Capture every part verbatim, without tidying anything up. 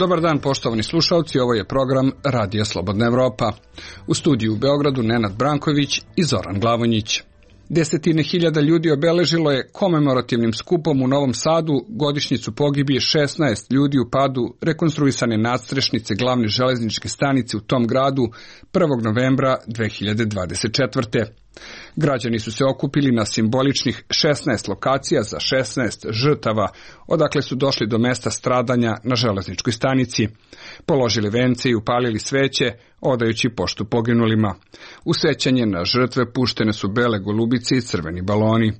Dobar dan, poštovani slušalci, ovo je program Radija Slobodna Evropa. U studiju u Beogradu Nenad Branković i Zoran Glavonjić. Desetine hiljada ljudi obeležilo je komemorativnim skupom u Novom Sadu godišnjicu pogibije šesnaest ljudi u padu rekonstruisane nadstrešnice glavne železničke stanice u tom gradu prvog novembra dve hiljade dvadeset četvrte. Građani su se okupili na simboličnih šesnaest lokacija za šesnaest žrtava, odakle su došli do mesta stradanja na železničkoj stanici. Položili vence i upalili sveće, odajući poštu poginulima. U sećanje na žrtve puštene su bele golubice i crveni baloni.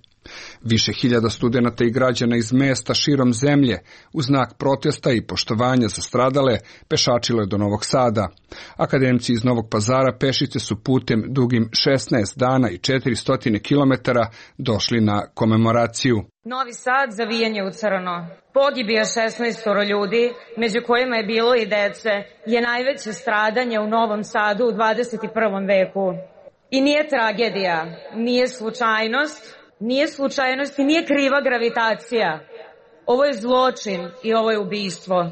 Više hiljada studenata i građana iz mesta širom zemlje, u znak protesta i poštovanja za stradale, pešačilo je do Novog Sada. Akademci iz Novog Pazara pešice su putem dugim šesnaest dana i četiristo kilometara došli na komemoraciju. Novi Sad, zavijanje u crno. Pogibija šesnaest ljudi, među kojima je bilo i dece, je najveće stradanje u Novom Sadu u dvadeset prvom veku. I nije tragedija, nije slučajnost, Nije slučajnost i nije kriva gravitacija. Ovo je zločin i ovo je ubistvo.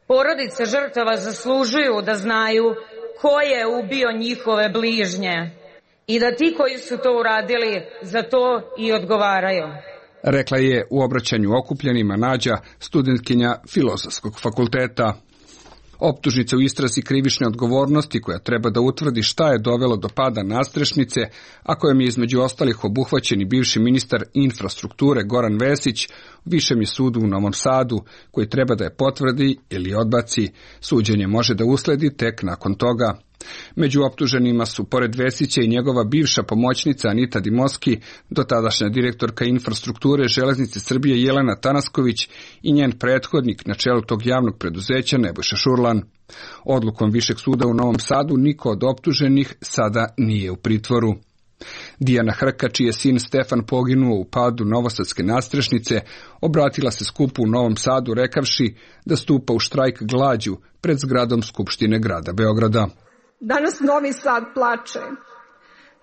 Porodice žrtava zaslužuju da znaju ko je ubio njihove bližnje i da ti koji su to uradili za to i odgovaraju. Rekla je u obraćanju okupljenima Nađa, studentkinja Filozofskog fakulteta. Optužnica u istrazi krivične odgovornosti koja treba da utvrdi šta je dovelo do pada nadstrešnice, a kojom je između ostalih obuhvaćen i bivši ministar infrastrukture Goran Vesić, višem je sudu u Novom Sadu, koji treba da je potvrdi ili odbaci. Suđenje može da usledi tek nakon toga. Među optuženima su, pored Vesića, i njegova bivša pomoćnica Anita Dimoski, dotadašnja direktorka infrastrukture Železnice Srbije Jelena Tanasković i njen prethodnik na čelu tog javnog preduzeća Nebojša Šurlan. Odlukom Višeg suda u Novom Sadu niko od optuženih sada nije u pritvoru. Dijana Hrka, čiji je sin Stefan poginuo u padu novosadske nadstrešnice, obratila se skupu u Novom Sadu rekavši da stupa u štrajk glađu pred zgradom Skupštine grada Beograda. Danas Novi Sad plače,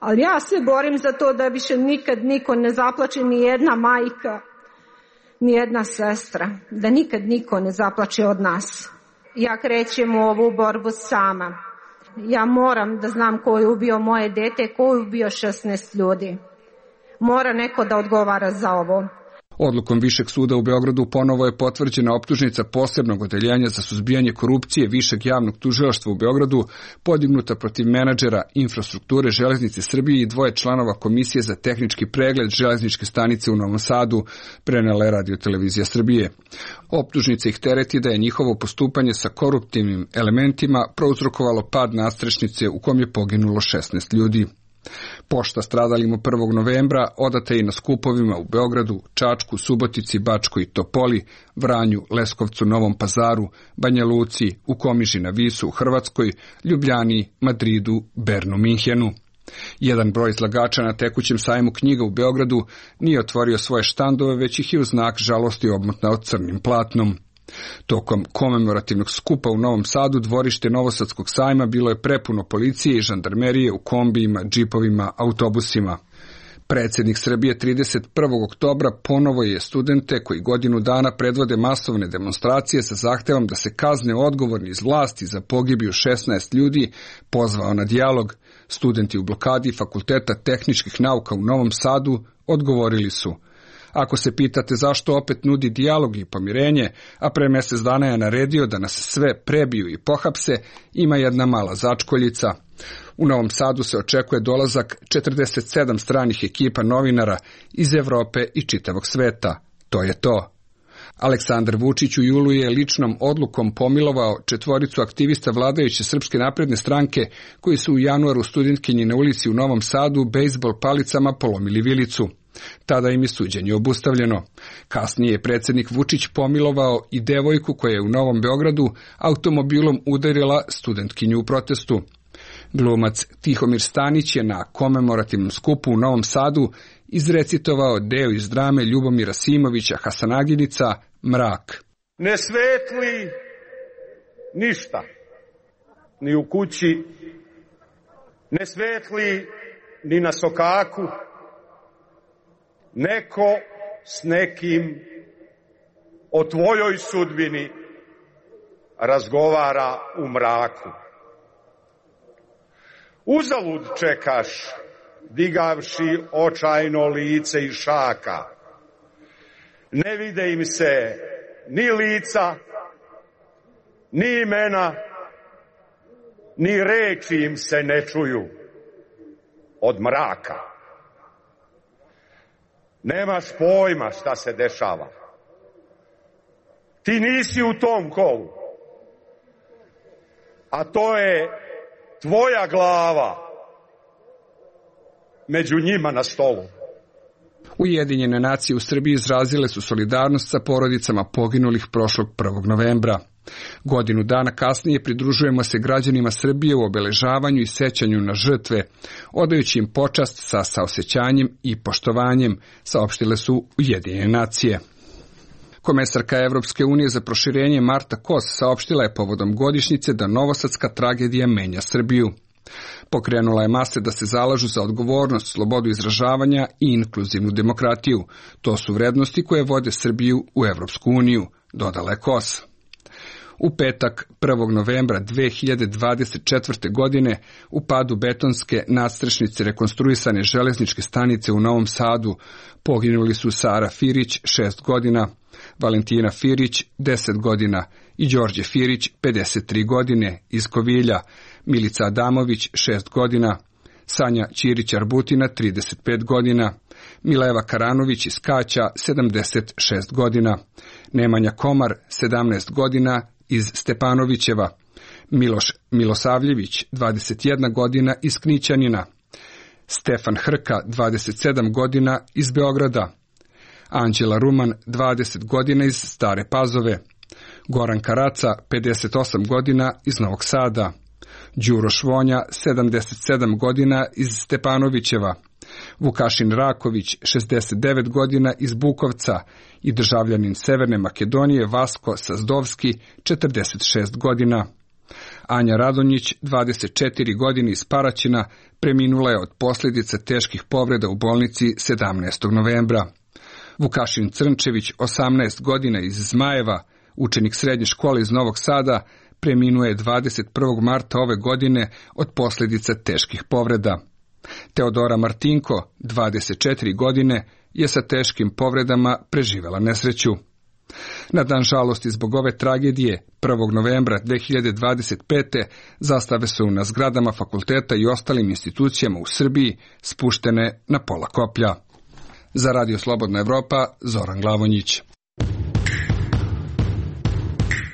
ali ja se borim za to da više nikad niko ne zaplače, ni jedna majka, ni jedna sestra, da nikad niko ne zaplače od nas. Ja krećem u ovu borbu sama. Ja moram da znam ko je ubio moje dete, ko je ubio šesnaest ljudi. Mora neko da odgovara za ovo. Odlukom Višeg suda u Beogradu ponovo je potvrđena optužnica posebnog odeljenja za suzbijanje korupcije Višeg javnog tužilaštva u Beogradu, podignuta protiv menadžera infrastrukture Železnice Srbije i dvoje članova Komisije za tehnički pregled železničke stanice u Novom Sadu, prenela je Radio-televizija Srbije. Optužnica ih tereti da je njihovo postupanje sa koruptivnim elementima prouzrokovalo pad nadstrešnice u kom je poginulo šesnaest ljudi. Pošta stradalima prvog novembra odata je i na skupovima u Beogradu, Čačku, Subotici, Bačkoj i Topoli, Vranju, Leskovcu, Novom Pazaru, Banja Luci, u Komiži na Visu u Hrvatskoj, Ljubljani, Madridu, Bernu, Minhenu. Jedan broj izlagača na tekućem sajmu knjiga u Beogradu nije otvorio svoje štandove, već ih je u znak žalosti obmotnao crnim platnom. Tokom komemorativnog skupa u Novom Sadu dvorište Novosadskog sajma bilo je prepuno policije i žandarmerije u kombijima, džipovima, autobusima. Predsjednik Srbije trideset prvog oktobra ponovo je studente koji godinu dana predvode masovne demonstracije sa zahtevom da se kazne odgovorni iz vlasti za pogibiju šesnaest ljudi pozvao na dijalog. Studenti u blokadi Fakulteta tehničkih nauka u Novom Sadu odgovorili su: ako se pitate zašto opet nudi dijalog i pomirenje, a pre mjesec dana je naredio da nas sve prebiju i pohapse, ima jedna mala začkoljica. U Novom Sadu se očekuje dolazak četrdeset sedam stranih ekipa novinara iz Evrope i čitavog sveta. To je to. Aleksandar Vučić u julu je ličnom odlukom pomilovao četvoricu aktivista vladajuće Srpske napredne stranke koji su u januaru studentkinji na ulici u Novom Sadu bejsbol palicama polomili vilicu. Tada im je suđenje obustavljeno. Kasnije je predsjednik Vučić pomilovao i devojku koja je u Novom Beogradu automobilom udarila studentkinju u protestu. Glumac Tihomir Stanić je na komemorativnom skupu u Novom Sadu izrecitovao deo iz drame Ljubomira Simovića Hasanaginica Mrak. Ne svetli ništa, ni u kući, ne svetli ni na sokaku, neko s nekim o tvojoj sudbini razgovara u mraku. Uzalud čekaš, digavši očajno lice iz šaka. Ne vide im se ni lica, ni imena, ni reči im se ne čuju od mraka. Nemaš pojma šta se dešava. Ti nisi u tom kolu. A to je tvoja glava među njima na stolu. Ujedinjene nacije u Srbiji izrazile su solidarnost sa porodicama poginulih prošlog prvog novembra. Godinu dana kasnije pridružujemo se građanima Srbije u obeležavanju i sećanju na žrtve, odajući im počast sa saosećanjem i poštovanjem, saopštile su Ujedinjene nacije. Komesarka Evropske unije za proširenje Marta Kos saopštila je povodom godišnjice da novosadska tragedija menja Srbiju. Pokrenula je mase da se zalažu za odgovornost, slobodu izražavanja i inkluzivnu demokratiju. To su vrednosti koje vode Srbiju u Evropsku uniju, dodala je Kos. U petak, prvog novembra dve hiljade dvadeset četvrte. godine, u padu betonske nadstrešnice rekonstruisane železničke stanice u Novom Sadu poginuli su Sara Firić, šest godina, Valentina Firić, deset godina i Đorđe Firić, pedeset tri godine, iz Kovilja, Milica Adamović, šest godina, Sanja Ćirić-Arbutina, trideset pet godina, Mileva Karanović iz Kaća, sedamdeset šest godina, Nemanja Komar, sedamnaest godina, iz Stepanovićeva, Miloš Milosavljević, dvadeset jedna godina, iz Knićanina, Stefan Hrka, dvadeset sedam godina, iz Beograda, Anđela Ruman, dvadeset godina, iz Stare Pazove, Goran Karaca, pedeset osam godina, iz Novog Sada, Đuro Švonja, sedamdeset sedam godina, iz Stepanovićeva, Vukašin Raković, šezdeset devet godina, iz Bukovca i državljanin Severne Makedonije Vasko Sazdovski, četrdeset šest godina. Anja Radonjić, dvadeset četiri godine, iz Paraćina, preminula je od posljedica teških povreda u bolnici sedamnaestog novembra. Vukašin Crnčević, osamnaest godina, iz Zmajeva, učenik srednje škole iz Novog Sada, preminuo je dvadeset prvog marta ove godine od posljedica teških povreda. Teodora Martinko, dvadeset četiri godine, je sa teškim povredama preživela nesreću. Na dan žalosti zbog ove tragedije, prvog novembra dve hiljade dvadeset pete. zastave su na zgradama fakulteta i ostalim institucijama u Srbiji spuštene na pola koplja. Za Radio Slobodna Evropa, Zoran Glavonjić.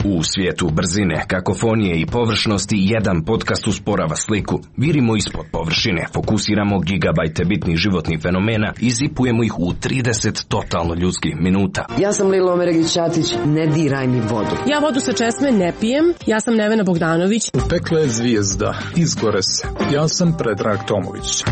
U svijetu brzine, kakofonije i površnosti jedan podcast usporava sliku. Virimo ispod površine, fokusiramo gigabajte bitnih životnih fenomena i zipujemo ih u trideset totalno ljudskih minuta. Ja sam Lilo Omeregić-Ćatić, ne diraj mi vodu. Ja vodu sa česme ne pijem, ja sam Nevena Bogdanović. Upekla je zvijezda, izgore se. Ja sam Predrag Tomović.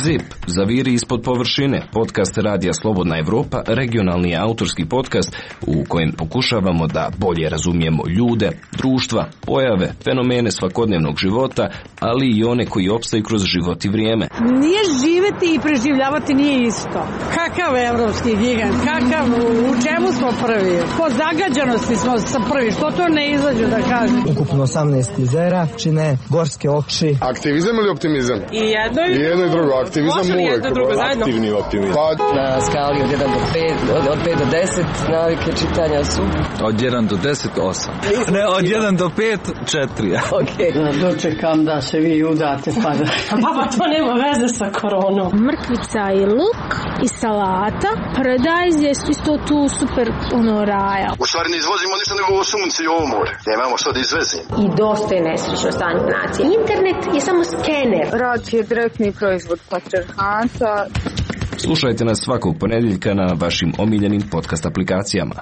Zip, zaviri ispod površine, podcast Radija Slobodna Evropa, regionalni autorski podcast u kojem pokušavamo da bolje razumijemo ljude, društva, pojave, fenomene svakodnevnog života, ali i one koji opstaju kroz život i vrijeme. Nije živeti i preživljavati nije isto. Kakav evropski gigant, kakav, u čemu smo prvi? Po zagađanosti smo sa prvi, što to ne izađu da kažem? Ukupno osamnaest jezera, čine gorske oči. Aktivizam ili optimizam? I jedno i, I jedno i drugo. Aktivizam uvek. Aktivni optimizam. Pa, na skali od jedan do pet, od, od pet do deset, navike čitanja su. Od jedan do deset, osam. Ne, od jedan do pet, četiri. Okej. Okay. Dočekam da se vi udate pa da... Pa to nema veze sa koronom. Mrkvica i luk i salata. Paradajz je isto tu super ono raja. U stvari ne izvozimo ništa nego ovo sunce i ovo more. Nemamo što da izvezimo. I dosta je nesrećno stanje nacije. Internet je samo skener. Rad je direktni proizvod patrijarhata. Slušajte nas svakog ponedjeljka na vašim omiljenim podcast aplikacijama.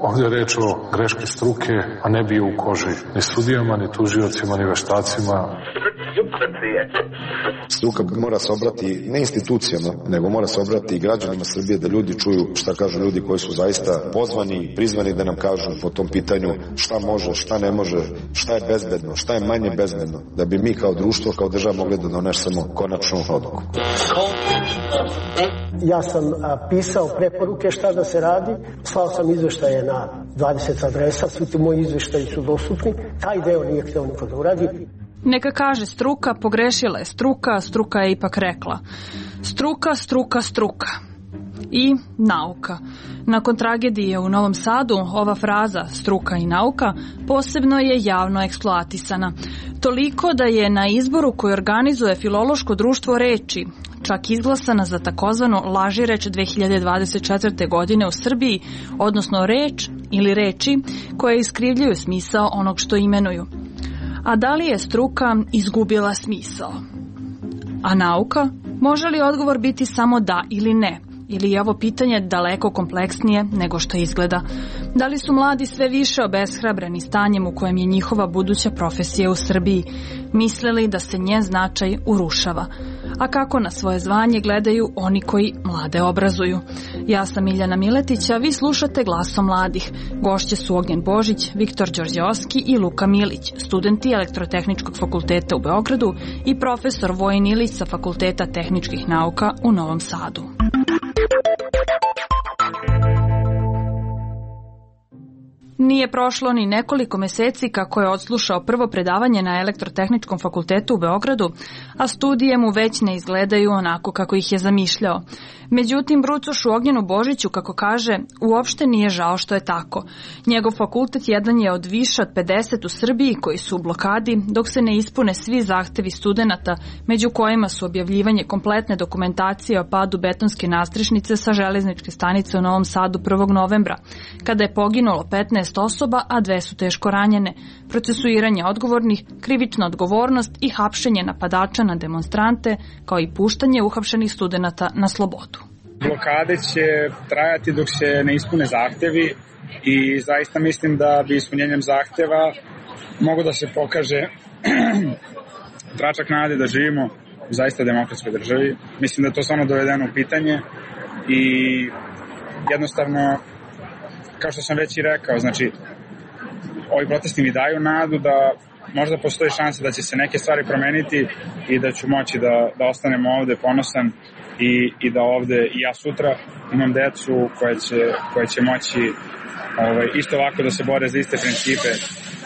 Ovdje je reč o greški struke, a ne bio u koži ni sudijama, ni tužiocima, ni veštacima. Struka mora se obrati ne institucijama, nego mora se obrati i građanima Srbije, da ljudi čuju šta kažu ljudi koji su zaista pozvani i prizvani da nam kažu po tom pitanju šta može, šta ne može, šta je bezbedno, šta je manje bezbedno, da bi mi kao društvo, kao država mogli da donesemo konačnu odluku. Ja sam a, pisao preporuke šta da se radi, slao sam izveštaje na dvadeset adresa, svi ti moji izveštaji su dostupni, taj deo nije hteo niko da uradi. Neka kaže struka, pogrešila je struka, struka je ipak rekla. Struka, struka, struka. I nauka. Nakon tragedije u Novom Sadu, ova fraza struka i nauka posebno je javno eksploatisana. Toliko da je na izboru koji organizuje Filološko društvo reči čak izglasana za takozvanu lažireč dve hiljade dvadeset četvrte. godine u Srbiji, odnosno reč ili reči koje iskrivljuju smisao onog što imenuju. A da li je struka izgubila smisao? A nauka? Može li odgovor biti samo da ili ne? Ili je ovo pitanje daleko kompleksnije nego što izgleda? Da li su mladi sve više obeshrabreni stanjem u kojem je njihova buduća profesija u Srbiji, mislili da se njen značaj urušava? A kako na svoje zvanje gledaju oni koji mlade obrazuju? Ja sam Miljana Miletić, a vi slušate Glasom mladih. Gošće su Ognjen Božić, Viktor Đorđeovski i Luka Milić, studenti Elektrotehničkog fakulteta u Beogradu i profesor Vojin Ilić sa Fakulteta tehničkih nauka u Novom Sadu. Nije prošlo ni nekoliko meseci kako je odslušao prvo predavanje na Elektrotehničkom fakultetu u Beogradu, a studije mu već ne izgledaju onako kako ih je zamišljao. Međutim, brucošu Ognjenu Božiću, kako kaže, uopšte nije žao što je tako. Njegov fakultet jedan je od više od pedeset u Srbiji koji su u blokadi, dok se ne ispune svi zahtevi studenata, među kojima su objavljivanje kompletne dokumentacije o padu betonske nastrešnice sa železničke stanice u Novom Sadu prvog novembra, kada je poginulo petnaest osoba, a dve su teško ranjene, procesuiranje odgovornih, krivična odgovornost i hapšenje napadača na demonstrante, kao i puštanje uhapšenih studenata na slobodu. Blokade će trajati dok se ne ispune zahtevi i zaista mislim da bi ispunjenjem zahteva mogu da se pokaže tračak nade da živimo u zaista demokratskoj državi. Mislim da je to samo dovedeno u pitanje i jednostavno, kao što sam već i rekao, znači ovi protesti mi daju nadu da možda postoji šansa da će se neke stvari promeniti i da ću moći da, da ostanem ovde ponosan i, i da ovde i ja sutra imam decu koje će, koje će moći ovaj, isto ovako da se bore za iste principe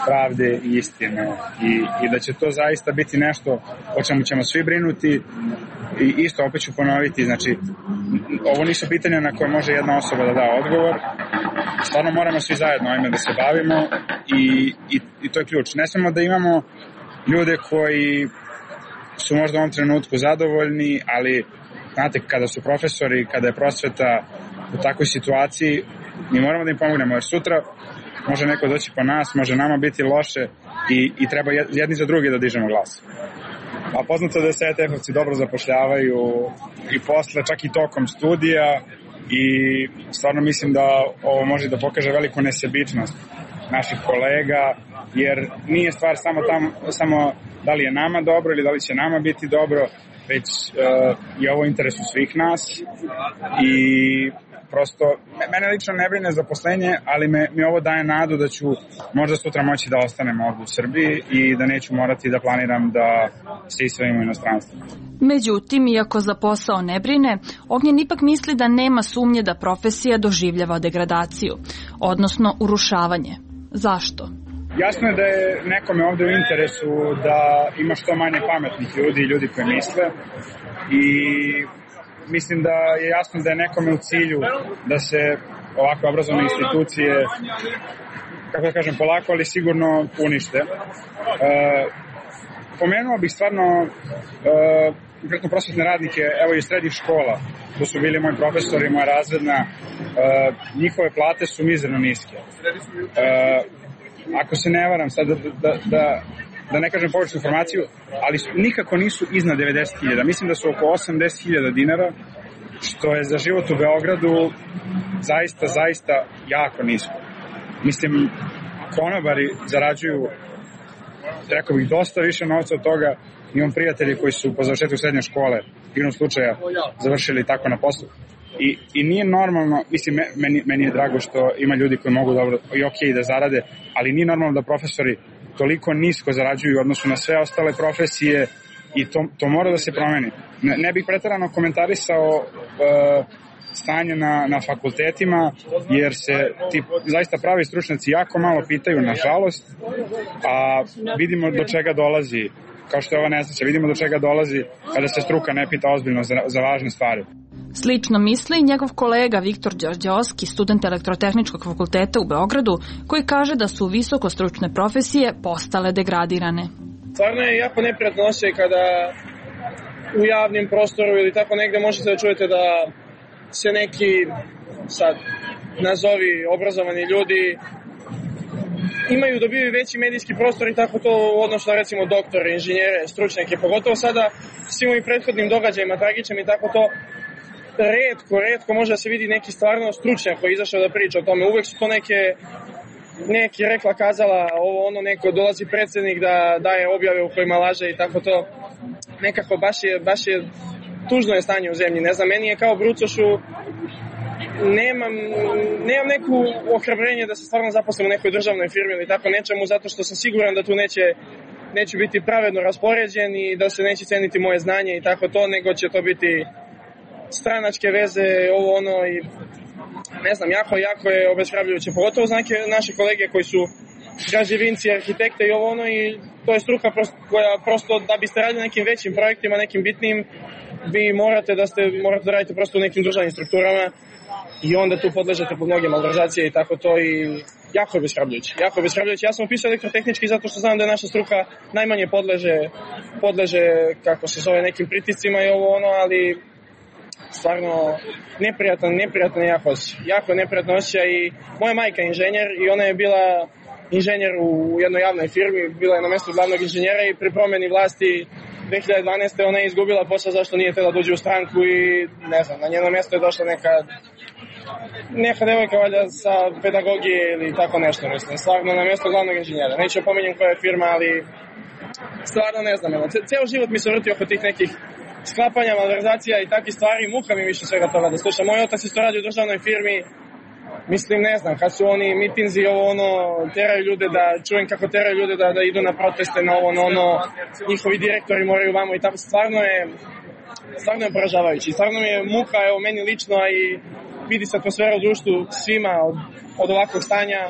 pravde i istine i, i da će to zaista biti nešto o čemu ćemo svi brinuti i isto opet ću ponoviti, znači ovo nisu pitanja na koje može jedna osoba da da odgovor, stvarno moramo svi zajedno ovime da se bavimo i, i, i to je ključ. Ne samo da imamo ljude koji su možda u ovom trenutku zadovoljni, ali znate, kada su profesori, kada je prosveta u takvoj situaciji, mi moramo da im pomognemo, jer sutra može neko doći po nas, može nama biti loše i, i treba jedni za drugi da dižemo glas. A poznato da se E T F-ovci dobro zapošljavaju i posle, čak i tokom studija i stvarno mislim da ovo može da pokaže veliku nesebičnost naših kolega, jer nije stvar samo, tam, samo da li je nama dobro ili da li će nama biti dobro, već uh, je ovo u interesu svih nas i prosto, mene lično ne brine zaposlenje, ali me, mi ovo daje nadu da ću možda sutra moći da ostanem ovdje u Srbiji i da neću morati da planiram da se isvelim u inostranstvu. Međutim, iako za posao ne brine, Ognjen ipak misli da nema sumnje da profesija doživljava degradaciju, odnosno urušavanje. Zašto? Jasno je da je nekome ovde u interesu da ima što manje pametnih ljudi i ljudi koji misle i mislim da je jasno da je nekome u cilju da se ovakve obrazovne institucije, kako da kažem, polako, ali sigurno unište. E, pomenuo bih stvarno e, konkretno prosvetne radnike, evo i srednjih škola, to su bili moji profesori, moja razredna, e, njihove plate su mizerno niske. E, ako se ne varam, sad da, da, da da ne kažem pogrešnu informaciju, ali su, nikako nisu iznad devedeset hiljada. Mislim da su oko osamdeset hiljada dinara, što je za život u Beogradu zaista, zaista jako nisko. Mislim, konobari zarađuju rekao bih, dosta više novca od toga. Imam prijatelji koji su po završetku srednje škole, igrom slučaja, završili tako na poslu. I, i nije normalno, mislim, meni, meni je drago što ima ljudi koji mogu dobro i ok da zarade, ali nije normalno da profesori toliko nisko zarađuju u odnosu na sve ostale profesije i to, to mora da se promeni. Ne, ne bih preterano komentarisao uh, stanje na, na fakultetima, jer se ti zaista pravi stručnjaci jako malo pitaju, nažalost, a vidimo do čega dolazi, kao što je ova nesreća, vidimo do čega dolazi kada se struka ne pita ozbiljno za, za važne stvari. Slično misli njegov kolega Viktor Đorđeovski, student Elektrotehničkog fakulteta u Beogradu, koji kaže da su visokostručne profesije postale degradirane. Stvarno je jako neprijatno osjećaj kada u javnim prostoru ili tako negde možete da čujete da se neki, sad, nazovi obrazovani ljudi imaju, dobiju veći medijski prostor i tako to u odnosu na recimo doktore, inženjere, stručnjake, pogotovo sada svim ovim prethodnim događajima, tragičnim i tako to, redko, redko može da se vidi neki stvarno stručnjak koji je izašao da priča o tome. Uvek su to neke, neki rekla, kazala, ovo ono, neko dolazi predsjednik da daje objave u kojima laže i tako to. Nekako baš je, baš je tužno je stanje u zemlji. Ne znam, meni je kao brucošu, nemam, nemam neku ohrabrenje da se stvarno zaposlim u nekoj državnoj firmi ili tako nečemu, zato što sam siguran da tu neće, neću biti pravedno raspoređen i da se neće ceniti moje znanje i tako to, nego će to biti stranačke veze, ovo ono i ne znam, jako, jako je obeshrabrujuće. Pogotovo za neke naše kolege koji su građevinci, arhitekte i ovo ono i to je struka prosto, koja prosto da biste radili nekim većim projektima, nekim bitnim, vi morate da ste, morate da radite prosto u nekim državnim strukturama i onda tu podležete pod mnoge malverzacije i tako to i jako je obeshrabrujuće. Jako je obeshrabrujuće. Ja sam upisao elektrotehnički zato što znam da je naša struka najmanje podleže, podleže kako se zove, nekim pritiscima i ovo ono, ali stvarno neprijatan, neprijatan jako osjećaj. Jako neprijatan osjećaj i moja majka je inženjer i ona je bila inženjer u jednoj javnoj firmi, bila je na mjestu glavnog inženjera i pri promjeni vlasti dve hiljade dvanaeste. ona je izgubila posao zašto nije htjela dođe u stranku i ne znam, na njeno mjesto je došla neka neka devojka valjda sa pedagogije ili tako nešto, mislim, stvarno na mjesto glavnog inženjera. Neću opominjem koja je firma, ali stvarno ne znam, ceo život mi se vrti oko tih nekih sklapanja, malverzacija i takvih stvari, muka mi više svega toga da slušam. Moj otac isto radi u državnoj firmi, mislim, ne znam, kad su oni mitinzi, ovo ono, teraju ljude da, čujem kako teraju ljude da, da idu na proteste, na ovo, na ono, njihovi direktori moraju vamo i tako, stvarno je, stvarno je poražavajući. Stvarno mi je muka, evo, meni lično, a i vidi se atmosfera u društvu svima od, od ovakvog stanja.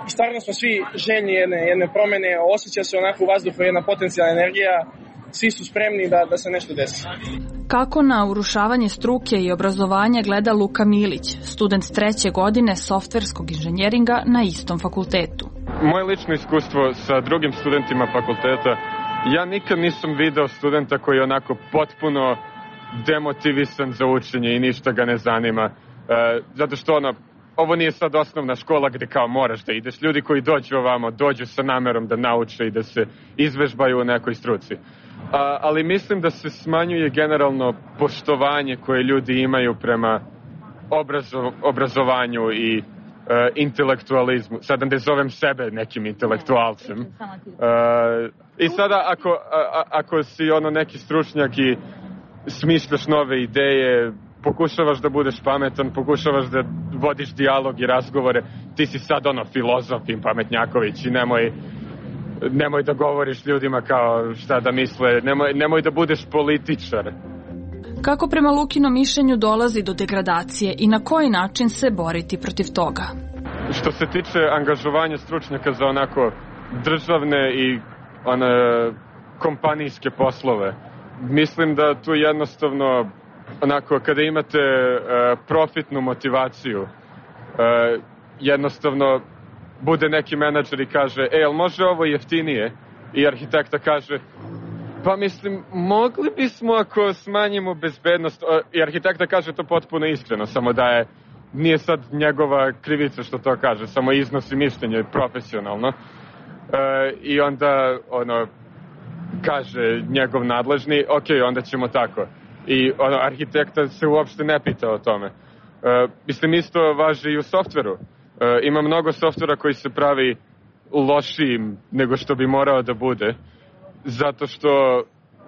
I stvarno smo svi željni jedne, jedne promene, osjeća se onako u vazduhu jedna potencijalna energija, svi su spremni da, da se nešto desi. Kako na urušavanje struke i obrazovanja gleda Luka Milić, student treće godine softverskog inženjeringa na istom fakultetu? Moje lično iskustvo sa drugim studentima fakulteta, ja nikad nisam video studenta koji je onako potpuno demotivisan za učenje i ništa ga ne zanima. E, zato što ono, ovo nije sad osnovna škola gde kao moraš da ideš. Ljudi koji dođu ovamo, dođu sa namerom da nauče i da se izvežbaju u nekoj struci. A, ali mislim da se smanjuje generalno poštovanje koje ljudi imaju prema obrazo, obrazovanju i e, intelektualizmu. Sada ne zovem sebe nekim intelektualcem. E, I sada ako, a, ako si ono neki stručnjak i smišljaš nove ideje, pokušavaš da budeš pametan, pokušavaš da vodiš dijalog i razgovore, ti si sad ono filozof i pametnjaković i nemoj nemoj da govoriš ljudima kao šta da misle, nemoj, nemoj da budeš političar. Kako prema Lukinom mišljenju dolazi do degradacije i na koji način se boriti protiv toga? Što se tiče angažovanja stručnjaka za onako državne i one kompanijske poslove, mislim da tu jednostavno onako kada imate uh, profitnu motivaciju, uh, jednostavno bude neki menadžer i kaže, e, jel može ovo jeftinije? I arhitekta kaže, pa mislim, mogli bismo ako smanjimo bezbednost. I arhitekta kaže to potpuno iskreno, samo da je, nije sad njegova krivica što to kaže, samo iznosi mišljenje profesionalno. E, I onda, ono, kaže njegov nadležni, ok, onda ćemo tako. I ono, arhitekta se uopšte ne pita o tome. E, mislim, isto važi i u softveru. E, ima mnogo softvera koji se pravi lošijim nego što bi morao da bude, zato što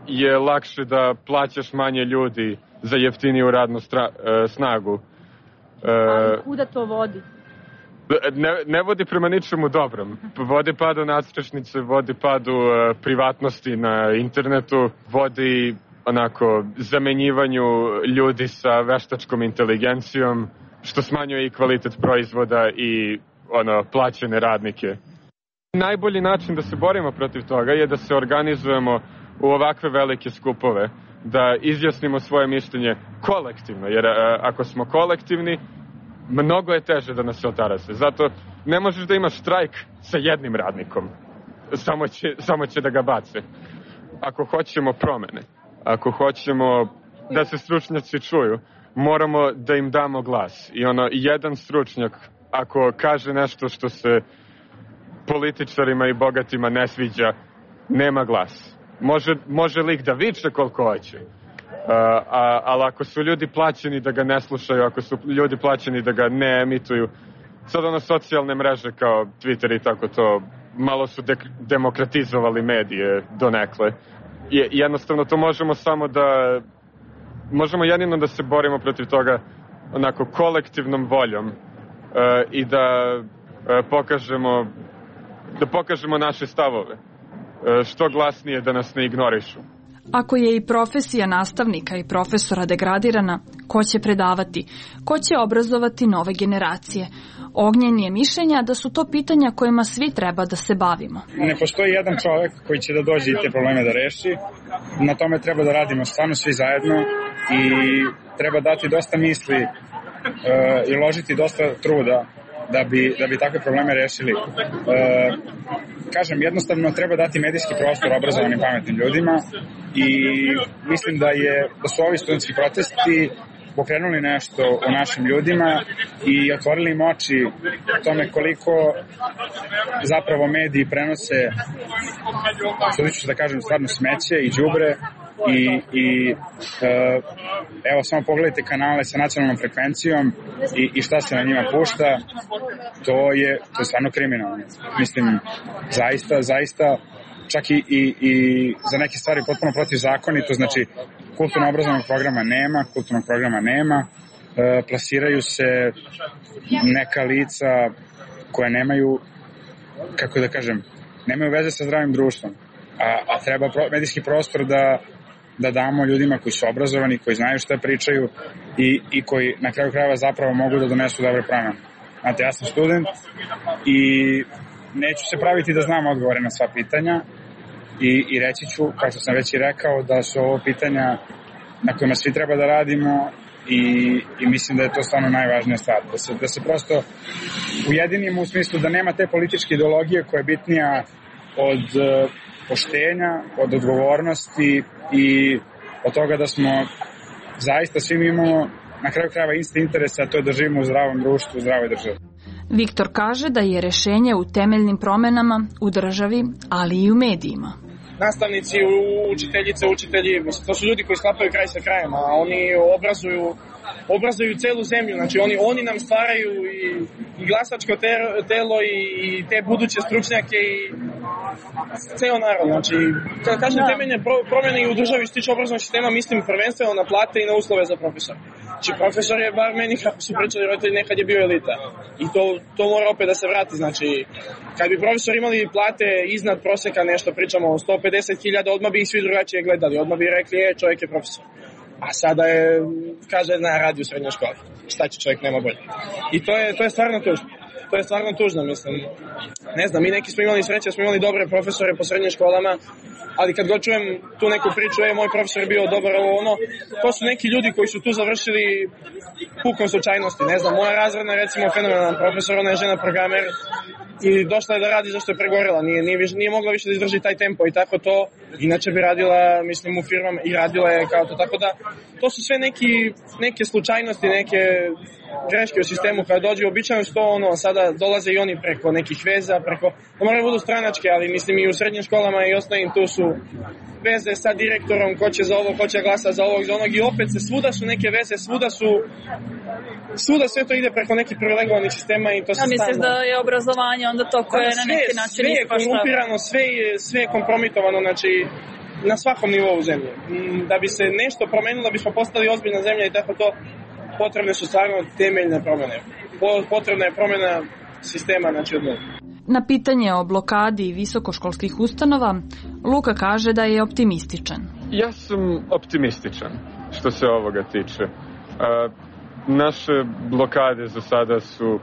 je lakše da plaćaš manje ljudi za jeftiniju radnu stra, e, snagu. E, Ali kuda to vodi? Ne, ne vodi prema ničemu dobrom. Vodi padu nadstrešnice, vodi padu e, privatnosti na internetu, vodi onako zamenjivanju ljudi sa veštačkom inteligencijom, što smanjuje i kvalitet proizvoda i ono, plaćene radnike. Najbolji način da se borimo protiv toga je da se organizujemo u ovakve velike skupove, da izjasnimo svoje mišljenje kolektivno, jer a, ako smo kolektivni, mnogo je teže da nas se otarase. Zato ne možeš da imaš štrajk sa jednim radnikom, samo će, samo će da ga bace. Ako hoćemo promene, ako hoćemo da se stručnjaci čuju, moramo da im damo glas. I ono, jedan stručnjak, ako kaže nešto što se političarima i bogatima ne sviđa, nema glas. Može, može lik da viče koliko hoće, uh, a, ali ako su ljudi plaćeni da ga ne slušaju, ako su ljudi plaćeni da ga ne emituju, sad ono socijalne mreže kao Twitter i tako to, malo su de- demokratizovali medije donekle. Je, jednostavno to možemo samo da, možemo jedino da se borimo protiv toga onako kolektivnom voljom uh, i da uh, pokažemo da pokažemo naše stavove, što glasnije, da nas ne ignorišu. Ako je i profesija nastavnika i profesora degradirana, ko će predavati? Ko će obrazovati nove generacije? Ognjen je mišljenja da su to pitanja kojima svi treba da se bavimo. Ne postoji jedan čovjek koji će da dođe i te probleme da reši. Na tome treba da radimo stvarno svi zajedno i treba dati dosta misli uh, i uložiti dosta truda da bi, da bi takve probleme rešili. E, kažem, jednostavno treba dati medijski prostor obrazovanim pametnim ljudima i mislim da, je, da su ovi studentski protesti pokrenuli nešto u našim ljudima i otvorili im oči tome koliko zapravo mediji prenose, što ću da kažem, stvarno smeće i đubre i, i e, evo samo pogledajte kanale sa nacionalnom frekvencijom i, i šta se na njima pušta, to je, to je stvarno kriminalno. Mislim, zaista, zaista čak i, i, i za neke stvari potpuno protivzakonito, znači kulturno-obrazovnog programa nema, kulturnog programa nema, e, plasiraju se neka lica koja nemaju, kako da kažem, nemaju veze sa zdravim društvom, a, a treba pro, medijski prostor da, da damo ljudima koji su obrazovani, koji znaju šta pričaju i, i koji na kraju krajeva zapravo mogu da donesu dobre promene. Znate, ja sam student i neću se praviti da znam odgovore na sva pitanja, I, i reći ću, kao što sam već i rekao, da su ovo pitanja na kojima svi treba da radimo i, i mislim da je to stvarno najvažnija stvar. Da se, da se prosto ujedinimo u smislu da nema te političke ideologije koja je bitnija od uh, poštenja, od odgovornosti i od toga da smo zaista svi imamo na kraju krajeva isti interes, a to je da živimo u zdravom društvu, u zdravoj državi. Viktor kaže da je rešenje u temeljnim promenama u državi, ali i u medijima. Nastavnici, učiteljice, učitelji, mislim, to su ljudi koji sklapaju kraj sa krajem, a oni obrazuju, obrazuju celu zemlju, znači oni, oni nam stvaraju i, i glasačko te, telo i, i te buduće stručnjake i ceo narod, znači kada kažem temeljne pro, promjene i u državi što tiče obrazovnog sistema, mislim prvenstveno na plate i na uslove za profesor. Znači profesor je, bar meni kako su pričali roditelji, nekad je bio elita i to, to mora opet da se vrati, znači kad bi profesor imali plate iznad proseka, nešto pričamo o sto pedeset hiljada, odmah bi ih svi drugačije gledali, odmah bi rekli, je, čovjek je profesor. A sada je, kaže, na radi u srednjoj školi. Šta će čovjek, nema bolje. I to je, to je stvarno tužno. To je stvarno tužno, mislim. Ne znam, mi neki smo imali sreće, smo imali dobre profesore po srednjim školama, ali kad god čujem tu neku priču, je, moj profesor je bio dobar, ovo ono, to su neki ljudi koji su tu završili pukom slučajnosti. Ne znam, moja razredna, recimo, fenomenalan profesor, ona je žena programer i došla je da radi zašto je pregorela, nije, nije, nije mogla više da izdrži taj tempo i tako to, inače bi radila, mislim, u firmama i radila je kao to, tako da to su sve neki, neke slučajnosti, neke greške u sistemu kada dođe, običajno što ono, sada dolaze i oni preko nekih veza, preko, ne moraju budu stranačke, ali mislim i u srednjim školama i osnovnim tu su veze sa direktorom, ko će za ovo, ko će glasa za ovog, za onog i opet se svuda su neke veze, svuda su svuda sve to ide preko nekih privilegovanih sistema i to se stalno. Ja misliš da je obrazovanje onda to koje je na neki način sve je korumpirano, sve je, sve je kompromitovano, znači na svakom nivou zemlje. Da bi se nešto promenilo, da bismo postali ozbiljna zemlja i tako to, potrebne su stvarno temeljne promene. Potrebna je promena sistema, znači od novog. Na pitanje o blokadi visokoškolskih ustanova, Luka kaže da je optimističan. Ja sam optimističan što se ovoga tiče. Uh, naše blokade za sada su,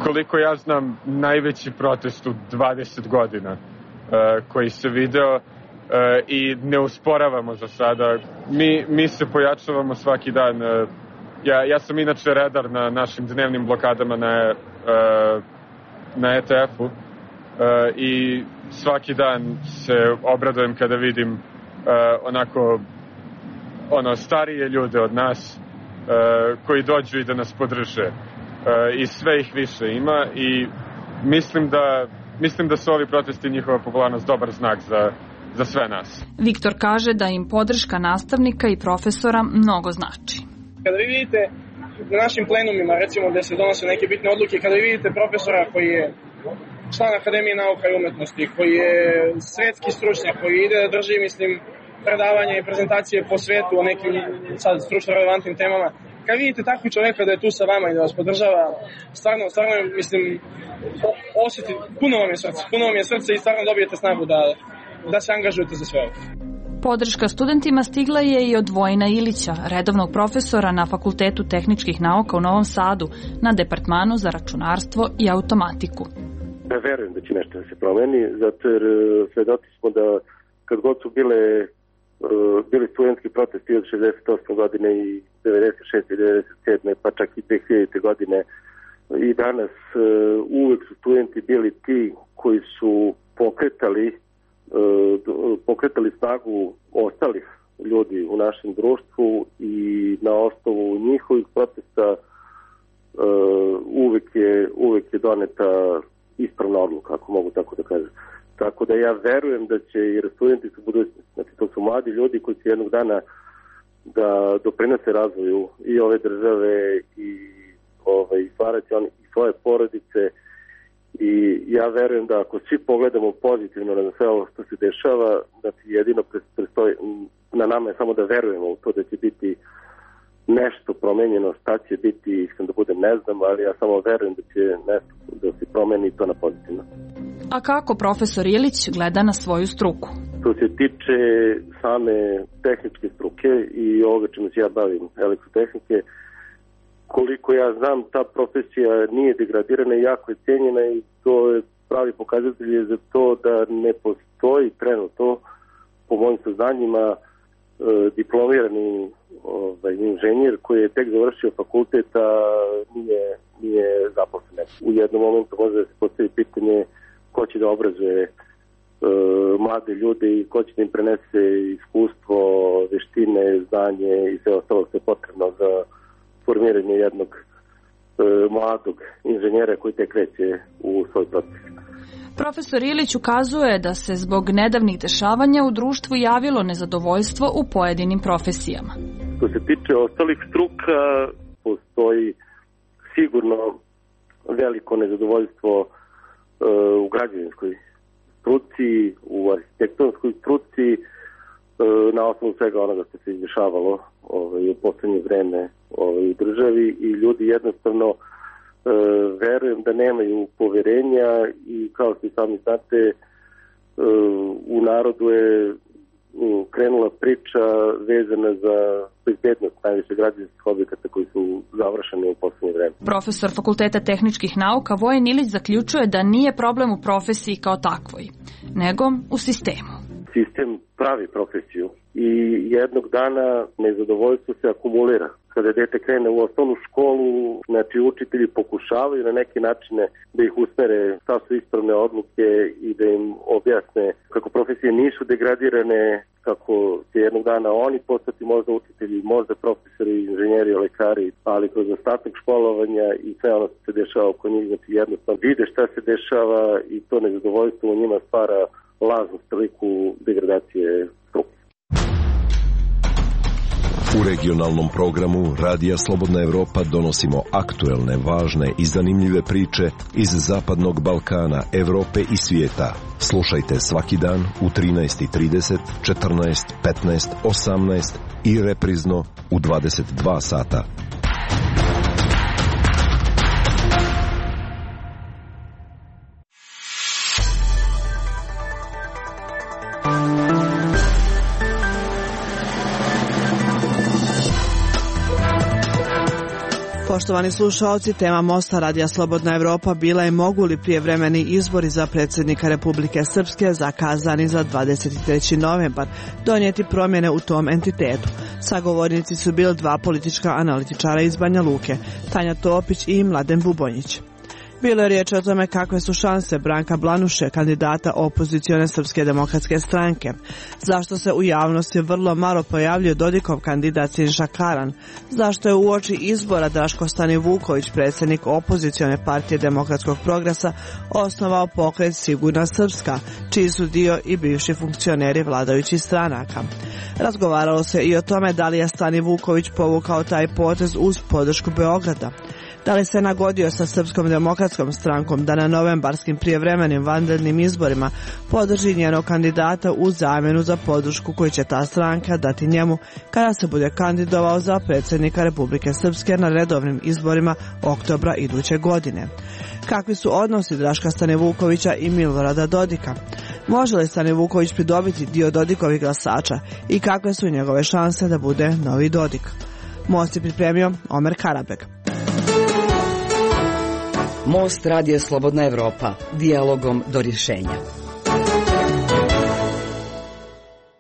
koliko ja znam, najveći protest u dvadeset godina uh, koji se video uh, i ne usporavamo za sada. Mi, mi se pojačavamo svaki dan. Uh, ja, ja sam inače redar na našim dnevnim blokadama na uh, na E T F-u uh, i svaki dan se obradujem kada vidim uh, onako ono starije ljude od nas uh, koji dođu i da nas podrže uh, i sve ih više ima i mislim da mislim da su ovi protesti i njihova popularnost dobar znak za, za sve nas. Viktor kaže da im podrška nastavnika i profesora mnogo znači. Kada vi vidite na našim plenumima, recimo gde se donose neke bitne odluke, kada vi vidite profesora koji je član Akademije nauka i umetnosti, koji je svetski stručnjak, koji ide da drži, mislim, predavanja i prezentacije po svetu o nekim sad stručno relevantnim temama, kad vidite takvog čoveka da je tu sa vama i da vas podržava, stvarno, stvarno, mislim, osjeti, puno vam je srce, puno vam je srce i stvarno dobijete snagu da, da se angažujete za sve ovo. Podrška studentima stigla je i od Vojina Ilića, redovnog profesora na Fakultetu tehničkih nauka u Novom Sadu, na Departmanu za računarstvo i automatiku. Ja verujem da će nešto da se promeni, zato jer svedoci smo da kad god su bile, bili studentski protesti od šezdeset osme godine i devedeset šeste i devedeset sedme pa čak i dve hiljadite godine i danas uvek su studenti bili ti koji su pokretali pokretali snagu ostalih ljudi u našem društvu i na osnovu njihovih protesta uvek je, uvek je doneta ispravna odluka, ako mogu tako da kažem. Tako da ja verujem da će, jer studenti su budućnosti, znači to su mladi ljudi koji će jednog dana da doprinose razvoju i ove države i ovaj, stvarati oni i svoje porodice. I ja verujem da ako svi pogledamo pozitivno na sve ovo što se dešava, da će jedino prestoji, na nama je samo da verujemo u to da će biti nešto promenjeno, šta će biti, iskreno da budem ne znam, ali ja samo verujem da će nešto da se promeni to na pozitivno. A kako profesor Ilić gleda na svoju struku? Što se tiče same tehničke struke i ovoga čemu se ja bavim, elektrotehnike, koliko ja znam, ta profesija nije degradirana i jako je cijenjena i to je pravi pokazatelj za to da ne postoji trenutno, po mojim saznanjima, diplomirani ovaj, inženjer koji je tek završio fakultet, a nije, nije zaposlen. U jednom momentu može da se postavi pitanje ko će da obrazuje e, mlade ljude i ko će da im prenese iskustvo, veštine, znanje i sve ostalo što je potrebno za formiranje jednog e, mladog inženjera koji tek kreće u svoj proces. Profesor Ilić ukazuje da se zbog nedavnih dešavanja u društvu javilo nezadovoljstvo u pojedinim profesijama. Što se tiče ostalih struka, postoji sigurno veliko nezadovoljstvo e, u građevinskoj struci, u arhitektonskoj struci, e, na osnovu svega onoga što se izdešavalo ovaj, u poslednje vreme ovaj, u državi i ljudi jednostavno E, verujem da nemaju poverenja i kao što sami znate e, u narodu je um, krenula priča vezana za bezbednost najviše građevinskih objekata koji su završeni u poslednje vreme. Profesor Fakulteta tehničkih nauka Vojin Ilić zaključuje da nije problem u profesiji kao takvoj, nego u sistemu. Sistem pravi profesiju i jednog dana nezadovoljstvo se akumulira. kada dete krene u osnovnu školu, znači učitelji pokušavaju na neki načine da ih usmere šta su ispravne odluke i da im objasne kako profesije nisu degradirane, kako će jednog dana oni postati možda učitelji, možda profesori, inženjeri, lekari, ali kroz ostatak školovanja i sve ono što se dešava oko njih, znači jednostavno vide šta se dešava i to nezadovoljstvo u njima stvara lažnu sliku degradacije struke. U regionalnom programu Radija Slobodna Evropa donosimo aktuelne, važne i zanimljive priče iz Zapadnog Balkana, Evrope i svijeta. Slušajte svaki dan u trinaest i trideset, četrnaest, petnaest, osamnaest i reprizno u dvadeset dva sata. Poštovani slušalci, tema Mosta Radija Slobodna Evropa bila je mogu li prijevremeni izbori za predsjednika Republike Srpske zakazani za dvadeset treći novembar donijeti promjene u tom entitetu. Sagovornici su bili dva politička analitičara iz Banja Luke, Tanja Topić i Mladen Bubonjić. Bilo je riječ o tome kakve su šanse Branka Blanuše, kandidata opozicione Srpske demokratske stranke. Zašto se u javnosti vrlo malo pojavljuje Dodikov kandidat Siniša Karan? Zašto je uoči izbora Draško Stanivuković, predsjednik opozicione partije Demokratskog progresa, osnovao pokret Sigurna Srpska, čiji su dio i bivši funkcioneri vladajućih stranaka. Razgovaralo se i o tome da li je Stanivuković povukao taj potez uz podršku Beograda. Da li se nagodio sa Srpskom demokratskom strankom da na novembarskim prijevremenim vanrednim izborima podrži njenog kandidata u zamjenu za podršku koju će ta stranka dati njemu kada se bude kandidovao za predsjednika Republike Srpske na redovnim izborima oktobra iduće godine? Kakvi su odnosi Draška Stanivukovića i Milorada Dodika? Može li Stanivuković pridobiti dio Dodikovih glasača i kakve su njegove šanse da bude novi Dodik? Most je pripremio Omer Karabeg. Most Radija Slobodna Evropa, dijalogom do rješenja.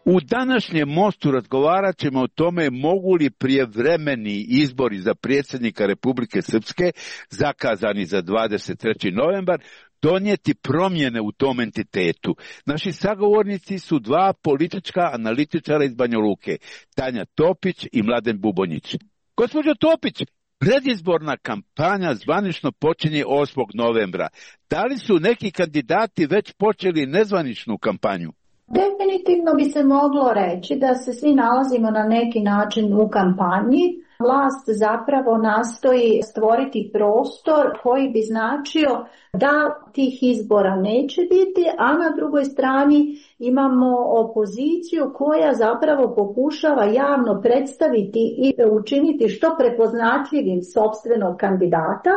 U današnjem Mostu razgovarat ćemo o tome mogu li prijevremeni izbori za predsjednika Republike Srpske, zakazani za dvadeset treći novembar, donijeti promjene u tom entitetu. Naši sagovornici su dva politička analitičara iz Banja Luke, Tanja Topić i Mladen Bubonjić. Gospođo Topić, predizborna kampanja zvanično počinje osmog novembra. Da li su neki kandidati već počeli nezvaničnu kampanju? Definitivno bi se moglo reći da se svi nalazimo na neki način u kampanji. Vlast zapravo nastoji stvoriti prostor koji bi značio da tih izbora neće biti, a na drugoj strani imamo opoziciju koja zapravo pokušava javno predstaviti i učiniti što prepoznatljivim sopstvenog kandidata,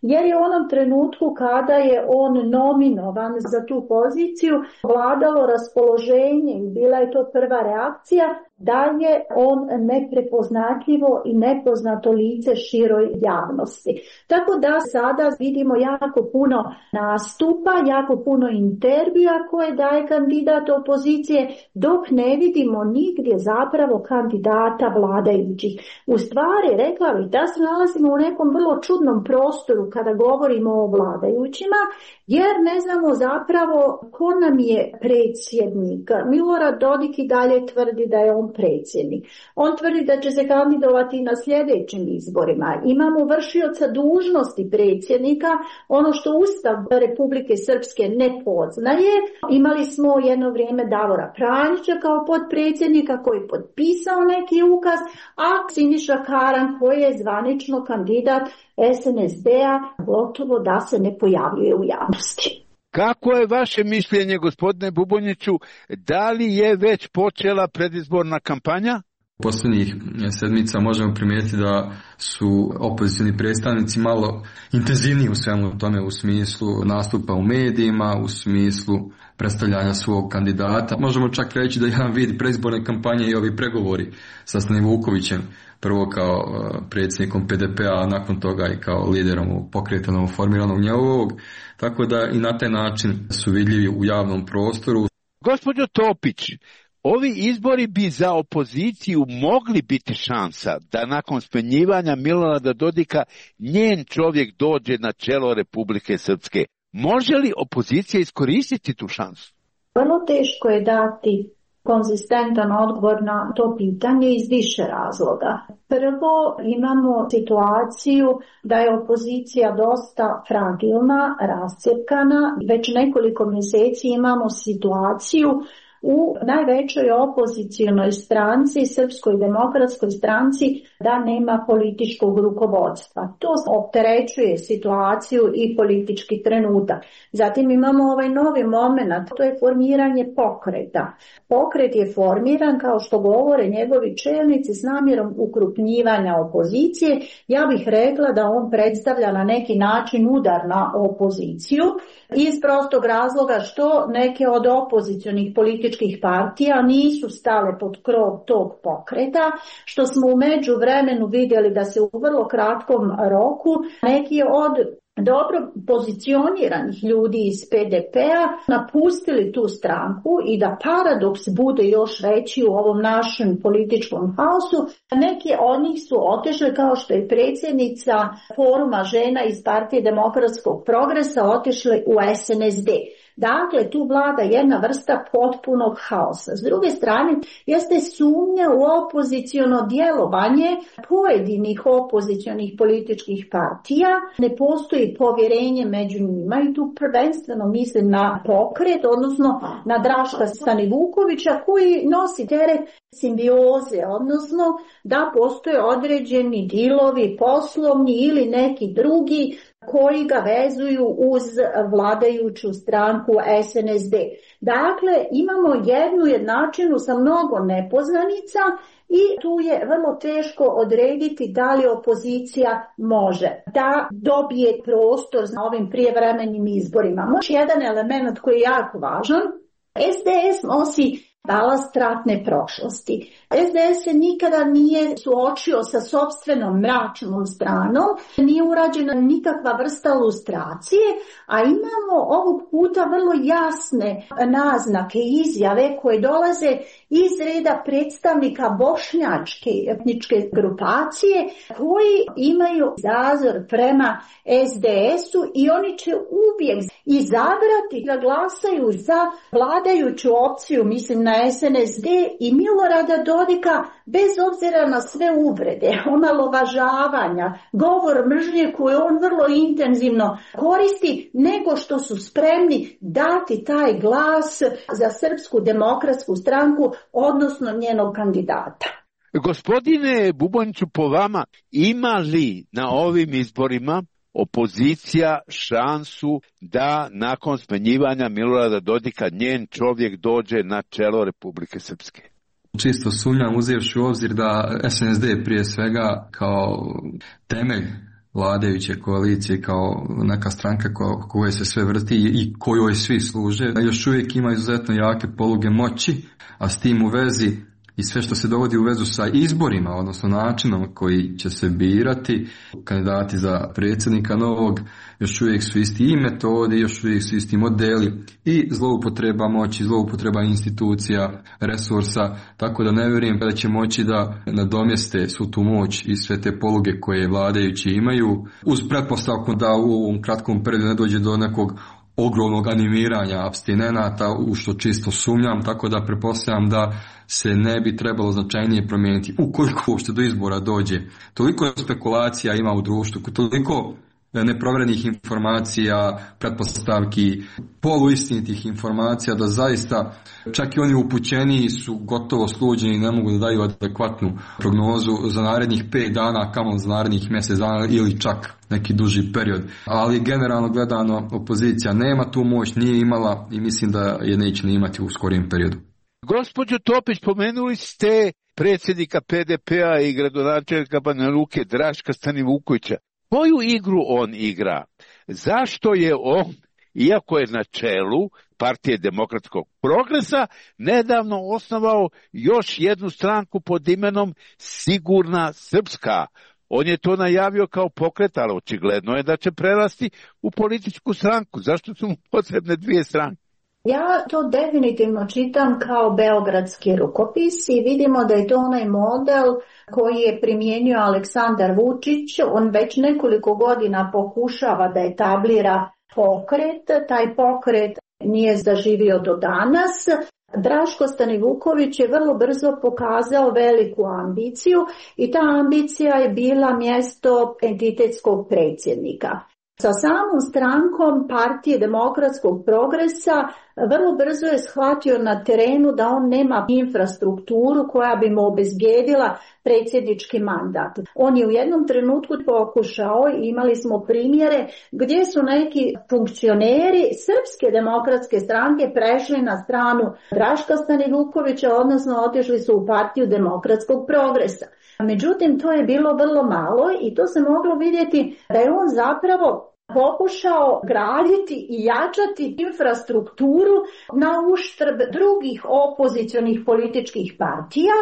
jer je u onom trenutku kada je on nominovan za tu poziciju vladalo raspoloženje i bila je to prva reakcija da je on neprepoznatljivo i nepoznato lice široj javnosti. Tako da sada vidimo jako puno nastupa, jako puno intervjua koje daje kandidat opozicije, dok ne vidimo nigdje zapravo kandidata vladajućih. U stvari, rekla bih da se nalazimo u nekom vrlo čudnom prostoru kada govorimo o vladajućima, jer ne znamo zapravo ko nam je predsjednik. Milorad Dodik i dalje tvrdi da je on predsjednik. On tvrdi da će se kandidovati na sljedećim izborima. Imamo vršioca dužnosti predsjednika, ono što Ustav Republike Srpske ne poznaje. Imali smo jedno vrijeme Davora Pranjića kao potpredsjednika koji je potpisao neki ukaz, a Siniša Karan koji je zvanično kandidat es en es de-a gotovo da se ne pojavljuje u javnosti. Kako je vaše mišljenje, gospodine Bubonjiću, da li je već počela predizborna kampanja? Posljednjih sedmica možemo primijetiti da su opozicioni predstavnici malo intenzivniji u svemu tome, u smislu nastupa u medijima, u smislu predstavljanja svog kandidata. Možemo čak reći da jedan vid predizborne kampanje i ovi pregovori sa Stanivukovićem, prvo kao predsjednikom pe de pe-a, a nakon toga i kao liderom pokreta novoformiranog njegovog, tako da i na taj način su vidljivi u javnom prostoru. Gospođo Topić, Ovi izbori bi za opoziciju mogli biti šansa da nakon smenjivanja Milorada Dodika njen čovjek dođe na čelo Republike Srpske. Može li opozicija iskoristiti tu šansu? Vrlo teško je dati konzistentan odgovor na to pitanje iz više razloga. Prvo, imamo situaciju da je opozicija dosta fragilna, rascjepkana. Već nekoliko mjeseci imamo situaciju u najvećoj opozicijonoj stranci, Srpskoj demokratskoj stranci, da nema političkog rukovodstva. To opterećuje situaciju i politički trenutak. Zatim imamo ovaj novi moment, to je formiranje pokreta. Pokret je formiran, kao što govore njegovi čelnici, s namjerom ukrupnjivanja opozicije. Ja bih rekla da on predstavlja na neki način udar na opoziciju, iz prostog razloga što neke od opozicionih političkih partija nisu stale pod krov tog pokreta, što smo u međuvremenu vidjeli da se u vrlo kratkom roku neki od dobro pozicioniranih ljudi iz P D P-a napustili tu stranku i da paradoks bude još veći u ovom našem političkom haosu, neki od njih su otišli, kao što je predsjednica foruma žena iz Partije demokratskog progresa, otišli u S N S D. Dakle, tu vlada jedna vrsta potpunog haosa. S druge strane, jeste sumnja u opoziciono djelovanje pojedinih opozicionih političkih partija. Ne postoji povjerenje među njima i tu prvenstveno mislim na pokret, odnosno na Draška Stanivukovića, koji nosi teret simbioze, odnosno da postoje određeni dilovi poslovni ili neki drugi koji ga vezuju uz vladajuću stranku S N S D. Dakle, imamo jednu jednačinu sa mnogo nepoznanica i tu je vrlo teško odrediti da li opozicija može da dobije prostor na ovim prijevremenim izborima. Još jedan element koji je jako važan, S D S nosi balast ratne prošlosti. S D S se nikada nije suočio sa sopstvenom mračnom stranom, nije urađena nikakva vrsta lustracije, a imamo ovog puta vrlo jasne naznake i izjave koje dolaze iz reda predstavnika bošnjačke etničke grupacije koji imaju zazor prema S D S-u i oni će uvijek izabrati da glasaju za vladajuću opciju, mislim na S N S D i Milorada Dodika, bez obzira na sve uvrede, omalovažavanja, govor mržnje koju on vrlo intenzivno koristi, nego što su spremni dati taj glas za Srpsku demokratsku stranku, odnosno njenog kandidata. Gospodine Buboniću, po vama, ima li na ovim izborima opozicija šansu da nakon smenjivanja Milorada Dodika njen čovjek dođe na čelo Republike Srpske? Čisto sumnjam, uzevši u obzir da S N S D prije svega kao temelj vladajuće koalicije, kao neka stranka ko, koje se sve vrti i kojoj svi služe, još uvijek ima izuzetno jake poluge moći, a s tim u vezi i sve što se dovodi u vezu sa izborima, odnosno načinom koji će se birati kandidati za predsjednika novog, još uvijek su isti i metodi, još uvijek su isti modeli i zloupotreba moći, zloupotreba institucija, resursa, tako da ne vjerujem da će moći da nadomjeste svu tu moć i sve te poluge koje vladajući imaju, uz pretpostavku da u ovom kratkom periodu ne dođe do nekog ogromnog animiranja apstinenata, u što čisto sumnjam, tako da pretpostavljam da se ne bi trebalo značajnije promijeniti ukoliko uopšte do izbora dođe. Toliko spekulacija ima u društvu, toliko neprovjerenih informacija, pretpostavki, poluistinitih informacija, da zaista čak i oni upućeniji su gotovo sluđeni i ne mogu da daju adekvatnu prognozu za narednih pet dana, kamo za narednih mjesec dana ili čak neki duži period. Ali generalno gledano opozicija nema tu moć, nije imala i mislim da je neće ni imati u skorijem periodu. Gospođo Topić, pomenuli ste predsjednika P D P-a i gradonačelnika Banja Luke Draška Stanivukovića. Koju igru on igra? Zašto je on, iako je na čelu Partije demokratskog progresa, nedavno osnovao još jednu stranku pod imenom Sigurna Srpska? On je to najavio kao pokret, ali očigledno je da će prerasti u političku stranku. Zašto su mu potrebne dvije stranke? Ja to definitivno čitam kao beogradski rukopis i vidimo da je to onaj model koji je primijenio Aleksandar Vučić. On već nekoliko godina pokušava da etablira pokret, taj pokret nije zaživio do danas. Draško Stanivuković je vrlo brzo pokazao veliku ambiciju i ta ambicija je bila mjesto entitetskog predsjednika. Sa samom strankom Partije demokratskog progresa vrlo brzo je shvatio na terenu da on nema infrastrukturu koja bi mu obezbijedila predsjednički mandat. On je u jednom trenutku pokušao, imali smo primjere gdje su neki funkcioneri Srpske demokratske stranke prešli na stranu Draška Stanivukovića, odnosno otišli su u Partiju demokratskog progresa. Međutim, to je bilo vrlo malo i to se moglo vidjeti da je on zapravo pokušao graditi i jačati infrastrukturu na uštrb drugih opozicionih političkih partija,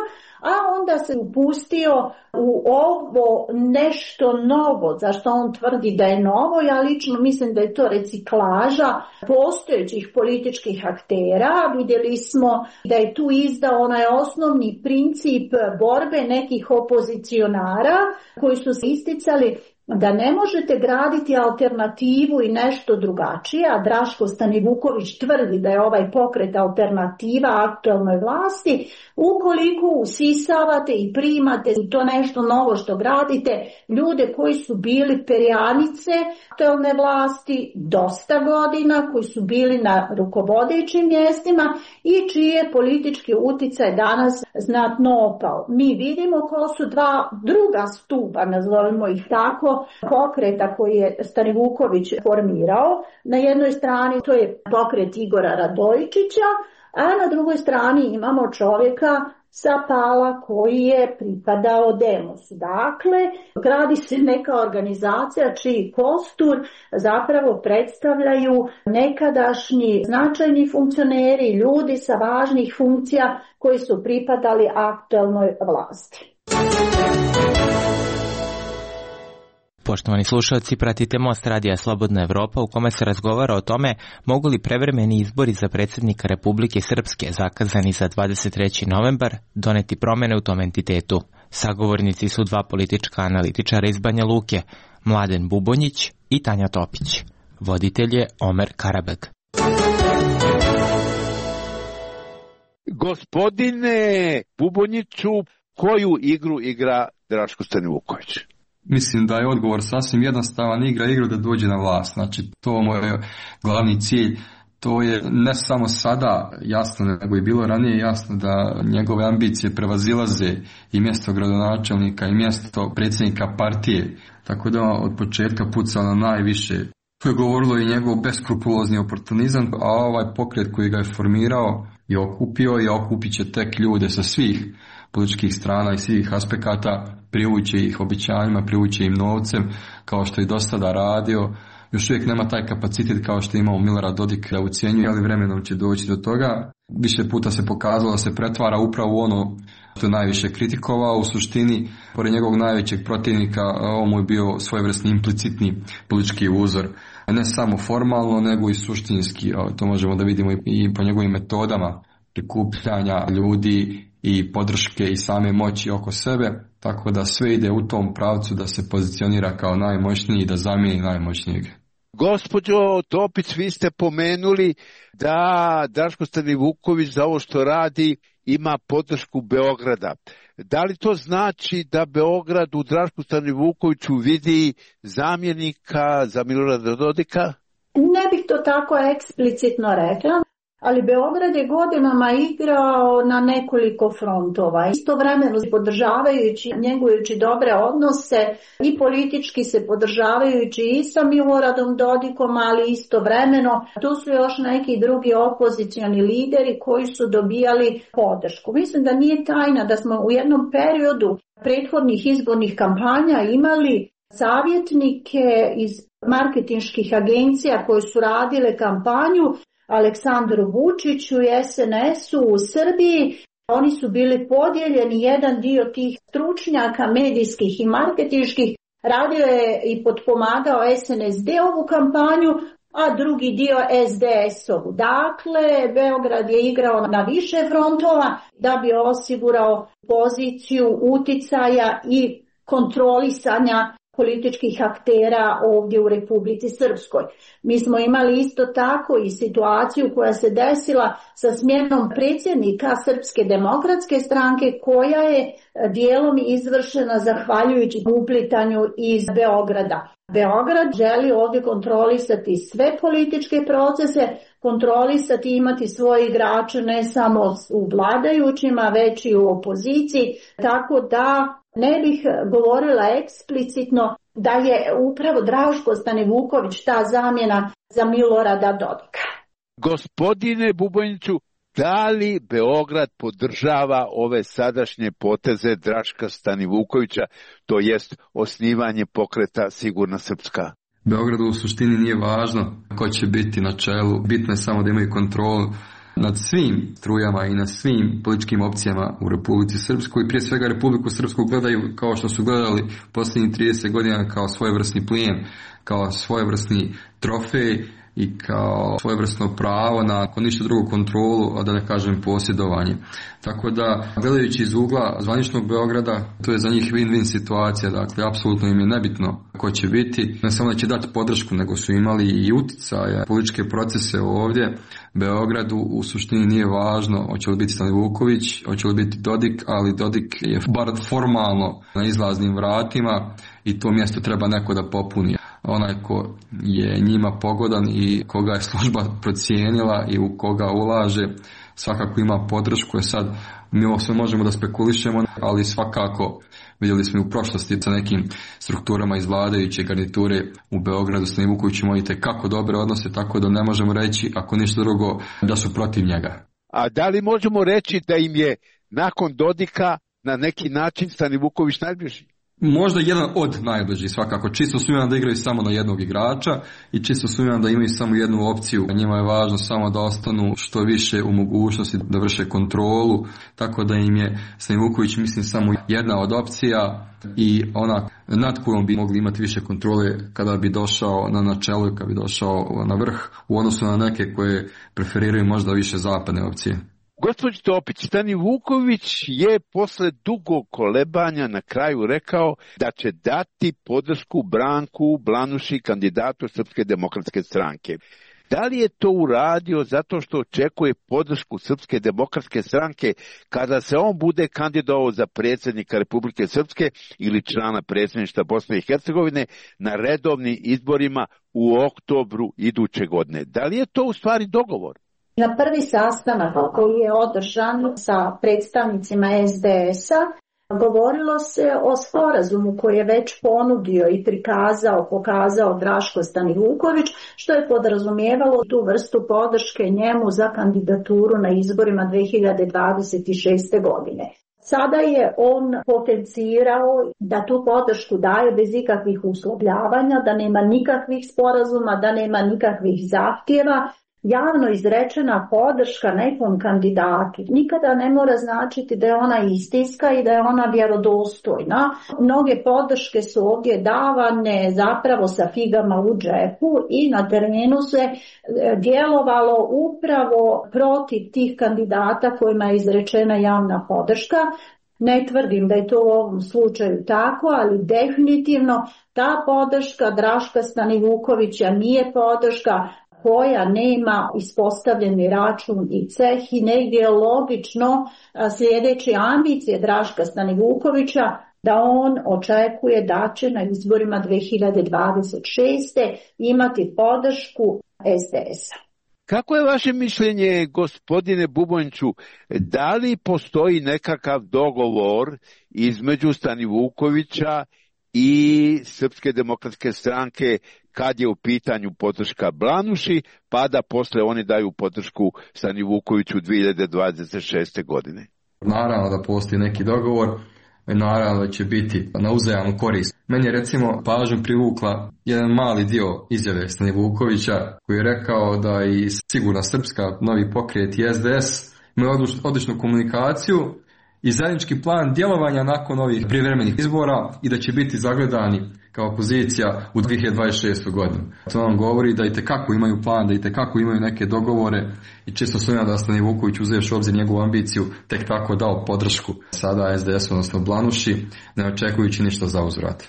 a onda se upustio u ovo nešto novo, zašto on tvrdi da je novo. Ja lično mislim da je to reciklaža postojećih političkih aktera. Vidjeli smo da je tu izdao onaj osnovni princip borbe nekih opozicionara koji su se isticali da ne možete graditi alternativu i nešto drugačije, a Draško Stanivuković tvrdi da je ovaj pokret alternativa aktualnoj vlasti, ukoliko usisavate i primate to nešto novo što gradite, ljude koji su bili perjanice aktualne vlasti dosta godina, koji su bili na rukovodećim mjestima i čiji je politički utjecaj danas znatno opao. Mi vidimo ko su dva druga stupa, nazovimo ih tako, pokreta koji je Stanivuković formirao. Na jednoj strani to je pokret Igora Radojičića, a na drugoj strani imamo čovjeka sa Pala koji je pripadao Demosu. Dakle, gradi se neka organizacija čiji kostur zapravo predstavljaju nekadašnji značajni funkcioneri, ljudi sa važnih funkcija koji su pripadali aktualnoj vlasti. Poštovani slušalci, pratite Most radija Slobodna Evropa u kome se razgovara o tome mogu li prevremeni izbori za predsjednika Republike Srpske zakazani za dvadeset treći novembar doneti promjene u tom entitetu. Sagovornici su dva politička analitičara iz Banja Luke, Mladen Bubonjić i Tanja Topić. Voditelj je Omer Karabeg. Gospodine Bubonjiću, koju igru igra Draško Stanivuković? Mislim da je odgovor sasvim jednostavan, igra igru da dođe na vlast. Znači, to mu je glavni cilj. To je ne samo sada jasno, nego je bilo ranije jasno da njegove ambicije prevazilaze i mjesto gradonačelnika i mjesto predsjednika partije. Tako da od početka pucao na najviše. To je govorilo i njegov beskrupulozni oportunizam, a ovaj pokret koji ga je formirao i okupio i okupit će tek ljude sa svih političkih strana i svih aspekata, privuće ih obećanjima, privuće im novcem, kao što je do sada radio. Još uvijek nema taj kapacitet kao što je imao Milorad Dodik da ucjenjuje, ali vremenom će doći do toga. Više puta se pokazalo da se pretvara upravo u ono što je najviše kritikovao. U suštini, pored njegovog najvećeg protivnika, ovo mu je bio svojevrsni implicitni politički uzor. Ne samo formalno, nego i suštinski. To možemo da vidimo i po njegovim metodama prikupljanja ljudi i podrške i same moći oko sebe, tako da sve ide u tom pravcu da se pozicionira kao najmoćniji i da zamijeni najmoćnijeg. Gospođo Topić, vi ste pomenuli da Draško Stanivuković za ovo što radi ima podršku Beograda. Da li to znači da Beograd u Drašku Stanivukoviću vidi zamjenika za Milorada Dodika? Ne bih to tako eksplicitno rekla. Ali Beograd je godinama igrao na nekoliko frontova, istovremeno podržavajući, njegujući dobre odnose i politički se podržavajući i sa Miloradom Dodikom, ali istovremeno tu su još neki drugi opozicioni lideri koji su dobijali podršku. Mislim da nije tajna da smo u jednom periodu prethodnih izbornih kampanja imali savjetnike iz marketinških agencija koje su radile kampanju Aleksandru Vučiću i es en esu u Srbiji. Oni su bili podijeljeni, jedan dio tih stručnjaka medijskih i marketinških radio je i potpomagao es en es de ovu kampanju, a drugi dio es de es-ovu. Dakle, Beograd je igrao na više frontova da bi osigurao poziciju uticaja i kontrolisanja političkih aktera ovdje u Republici Srpskoj. Mi smo imali isto tako i situaciju koja se desila sa smjenom predsjednika Srpske demokratske stranke, koja je dijelom izvršena zahvaljujući uplitanju iz Beograda. Beograd želi ovdje kontrolisati sve političke procese, kontrolisati i imati svoje igrače ne samo u vladajućima, već i u opoziciji, tako da ne bih govorila eksplicitno da je upravo Draško Stanivuković ta zamjena za Milorada Dodika. Gospodine Bubojniću, da li Beograd podržava ove sadašnje poteze Draška Stanivukovića, to jest osnivanje pokreta Sigurna Srpska? Beogradu u suštini nije važno ko će biti na čelu, bitno je samo da imaju kontrolu nad svim strujama i nad svim političkim opcijama u Republici Srpskoj. Prije svega Republiku Srpsku gledaju kao što su gledali posljednjih trideset godina kao svojevrsni plijen, kao svojevrsni trofej i kao svojevrsno pravo na, ako ništa drugo, kontrolu, a da ne kažem posjedovanje. Tako da, gledajući iz ugla zvaničnog Beograda, to je za njih win-win situacija, dakle, apsolutno im je nebitno ko će biti, ne samo da će dati podršku, nego su imali i uticaja, političke procese ovdje. Beogradu u suštini nije važno hoće li biti Stanivuković, hoće li biti Dodik, ali Dodik je bar formalno na izlaznim vratima i to mjesto treba neko da popuni. Onaj ko je njima pogodan i koga je služba procijenila i u koga ulaže, svakako ima podršku. Je sad, mi ovo sve možemo da spekulišemo, ali svakako vidjeli smo i u prošlosti sa nekim strukturama iz vladajuće garniture u Beogradu s Stanivukovićem imate kako dobre odnose, tako da ne možemo reći, ako ništa drugo, da su protiv njega. A da li možemo reći da im je nakon Dodika na neki način Stanivuković najbliži? Možda jedan od najbližih svakako. Čisto sumnjam da igraju samo na jednog igrača i čisto sumnjam da imaju samo jednu opciju. Njima je važno samo da ostanu što više u mogućnosti da vrše kontrolu, tako da im je Stanivuković, mislim, samo jedna od opcija i ona nad kojom bi mogli imati više kontrole kada bi došao na načelo i kada bi došao na vrh u odnosu na neke koje preferiraju možda više zapadne opcije. Gospođo Topić, Stanivuković je posle dugog kolebanja na kraju rekao da će dati podršku Branku Blanuši, kandidatu Srpske demokratske stranke. Da li je to uradio zato što očekuje podršku Srpske demokratske stranke kada se on bude kandidovao za predsjednika Republike Srpske ili člana predsjedništva Bosne i Hercegovine na redovnim izborima u oktobru iduće godine? Da li je to u stvari dogovor? Na prvi sastanak koji je održan sa predstavnicima es de es-a govorilo se o sporazumu koji je već ponudio i prikazao, pokazao Draško Stanivuković, što je podrazumijevalo tu vrstu podrške njemu za kandidaturu na izborima dve hiljade dvadeset šeste. godine. Sada je on potencirao da tu podršku daje bez ikakvih uslovljavanja, da nema nikakvih sporazuma, da nema nikakvih zahtjeva. Javno izrečena podrška nekom kandidatu nikada ne mora značiti da je ona istinska i da je ona vjerodostojna. Mnoge podrške su ovdje davane zapravo sa figama u džepu i na terenu se djelovalo upravo protiv tih kandidata kojima je izrečena javna podrška. Ne tvrdim da je to u ovom slučaju tako, ali definitivno ta podrška Draška Stanivukovića nije podrška koja nema ispostavljeni račun i ceh i negdje je logično sljedeći ambicije Draška Stanivukovića da on očekuje da će na izborima dve hiljade dvadeset šeste. imati podršku es de es-a. Kako je vaše mišljenje, gospodine Bubonjiću, da li postoji nekakav dogovor između Stanivukovića i Srpske demokratske stranke kad je u pitanju podrška Blanuši, pa da posle oni daju podršku Stanivukoviću dve hiljade dvadeset šeste. godine? Naravno da postoji neki dogovor, naravno da će biti na uzajamnu korist. Meni je recimo pažnju privukla jedan mali dio izjave Stanivukovića koji je rekao da i Sigurna Srpska, Novi pokret i es de es imaju odličnu komunikaciju i zajednički plan djelovanja nakon ovih prijevremenih izbora i da će biti zagledani kao opozicija u dvije hiljade dvadeset šestoj godini. To nam govori da itekako imaju plan, da itekako imaju neke dogovore i čisto sumnjam da Stani Vuković, uzevši u obzir njegovu ambiciju, tek tako dao podršku sada S D S, odnosno Blanuši, ne očekujući ništa za uzvrat.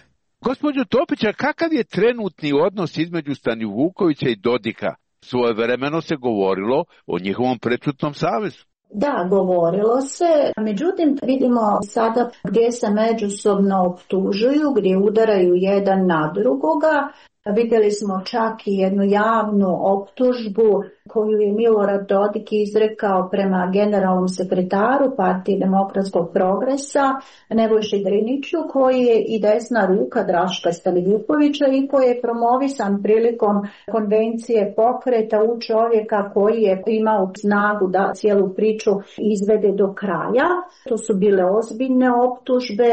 Gospođo Topića, kakav je trenutni odnos između Stani Vukovića i Dodika? Svojevremeno se govorilo o njihovom prečutnom savezu. Da, govorilo se, međutim vidimo sada gdje se međusobno optužuju, gdje udaraju jedan na drugoga. Vidjeli smo čak i jednu javnu optužbu koju je Milorad Dodik izrekao prema generalnom sekretaru Partije demokratskog progresa Nebojši Driniću, koji je i desna ruka Draška Stanivukovića i koji je promovisan prilikom konvencije pokreta u čovjeka koji je imao snagu da cijelu priču izvede do kraja. To su bile ozbiljne optužbe,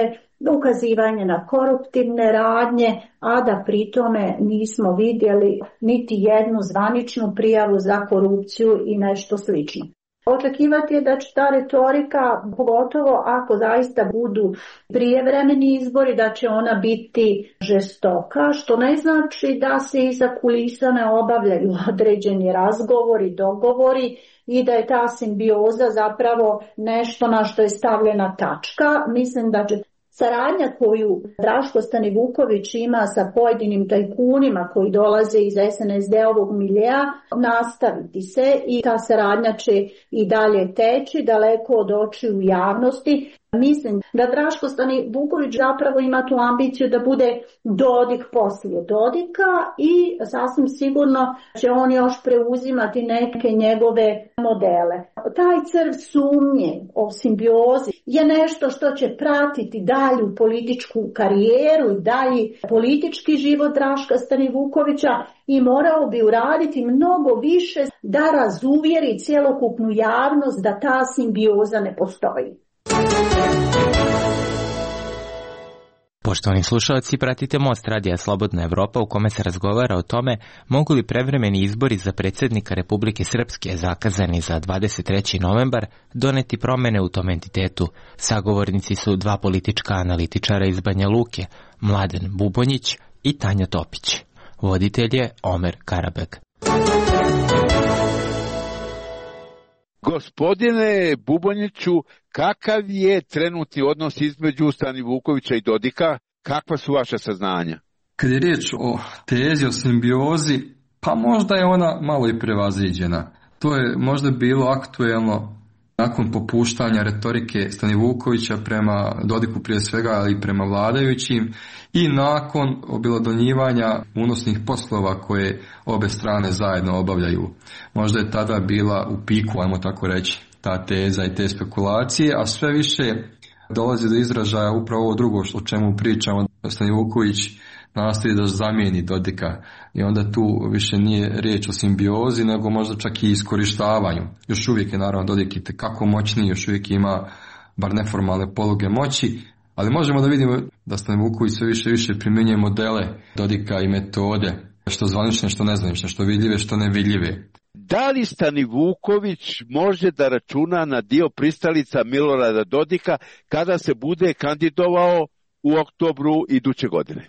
ukazivanje na koruptivne radnje, a da pri tome nismo vidjeli niti jednu zvaničnu prijavu za korupciju i nešto slično. Očekivati je da će ta retorika, pogotovo ako zaista budu prijevremeni izbori, da će ona biti žestoka, što ne znači da se iza kulisa ne obavljaju određeni razgovori, dogovori i da je ta simbioza zapravo nešto na što je stavljena tačka. Mislim da će saradnja koju Draško Stanivuković ima sa pojedinim tajkunima koji dolaze iz S N S D-ovog miljea nastaviti se i ta saradnja će i dalje teći daleko od očiju javnosti. Mislim da Draško Stanivuković zapravo ima tu ambiciju da bude Dodik poslije Dodika i sasvim sigurno će on još preuzimati neke njegove modele. Taj crv sumnje o simbiozi je nešto što će pratiti dalju političku karijeru i dalji politički život Draška Stanivukovića i morao bi uraditi mnogo više da razuvjeri cjelokupnu javnost da ta simbioza ne postoji. Poštovani slušalci, pratite Most radija Slobodna Evropa u kome se razgovara o tome mogu li prevremeni izbori za predsjednika Republike Srpske zakazani za dvadeset treći novembar doneti promjene u tom entitetu. Sagovornici su dva politička analitičara iz Banja Luke, Mladen Bubonjić i Tanja Topić. Voditelj je Omer Karabeg. Gospodine Bubonjiću, kakav je trenutni odnos između Stanivukovića i Dodika? Kakva su vaše saznanja? Kad je riječ o tezi, o simbiozi, pa možda je ona malo i prevaziđena. To je možda bilo aktuelno nakon popuštanja retorike Stanivukovića prema Dodiku prije svega, ali i prema vladajućim i nakon objelodonjivanja unosnih poslova koje obe strane zajedno obavljaju. Možda je tada bila u piku, ajmo tako reći, ta teza i te spekulacije, a sve više dolazi do izražaja upravo ovo drugo o čemu pričamo. Stanivuković nastoji da zamijeni Dodika i onda tu više nije riječ o simbiozi nego možda čak i iskorištavanju. Još uvijek je naravno Dodik itekako moćniji, još uvijek ima bar neformalne poluge moći, ali možemo da vidimo da Stanivuković sve više i više primjenjuje modele Dodika i metode, što zvanične, što nezvanične, što vidljive, što nevidljive. Da li Stanivuković može da računa na dio pristalica Milorada Dodika kada se bude kandidovao u oktobru iduće godine?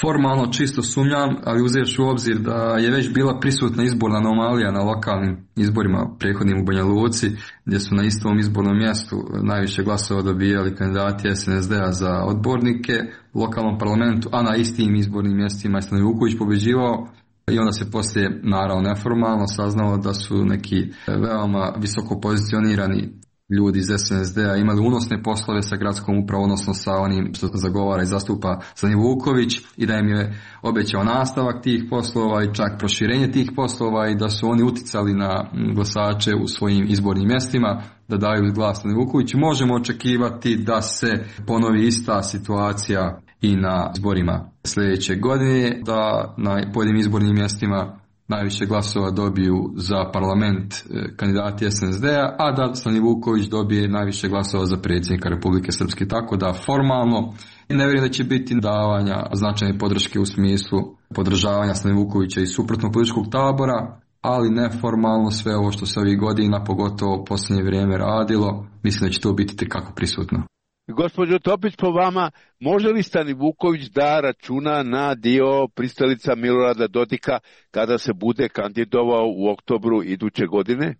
Formalno čisto sumnjam, ali uzevši u obzir da je već bila prisutna izborna anomalija na lokalnim izborima prethodnim u Banja Luci, gdje su na istom izbornom mjestu najviše glasova dobijali kandidati S N S D-a za odbornike u lokalnom parlamentu, a na istim izbornim mjestima je Stanivuković pobeđivao. I onda se poslije, naravno neformalno, saznalo da su neki veoma visoko pozicionirani ljudi iz S N S D-a imali unosne poslove sa gradskom upravom, odnosno sa onim što zagovara i zastupa Stanivuković, i da im je obećao nastavak tih poslova i čak proširenje tih poslova i da su oni uticali na glasače u svojim izbornim mjestima da daju glas Stanivukoviću. Možemo očekivati da se ponovi ista situacija i na izborima sljedeće godine, da na pojedinim izbornim mjestima najviše glasova dobiju za parlament kandidati S N S D-a, a da Stanivuković dobije najviše glasova za predsjednika Republike Srpske. Tako da formalno ne vjerujem da će biti davanja značajne podrške u smislu podržavanja Stanivukovića i suprotnog političkog tabora, ali neformalno sve ovo što se ovih godina, pogotovo u posljednje vrijeme radilo, mislim da će to biti tekako prisutno. Gospođo Topić, po vama, može li Stanivuković da računa na dio pristalica Milorada Dodika kada se bude kandidovao u oktobru iduće godine?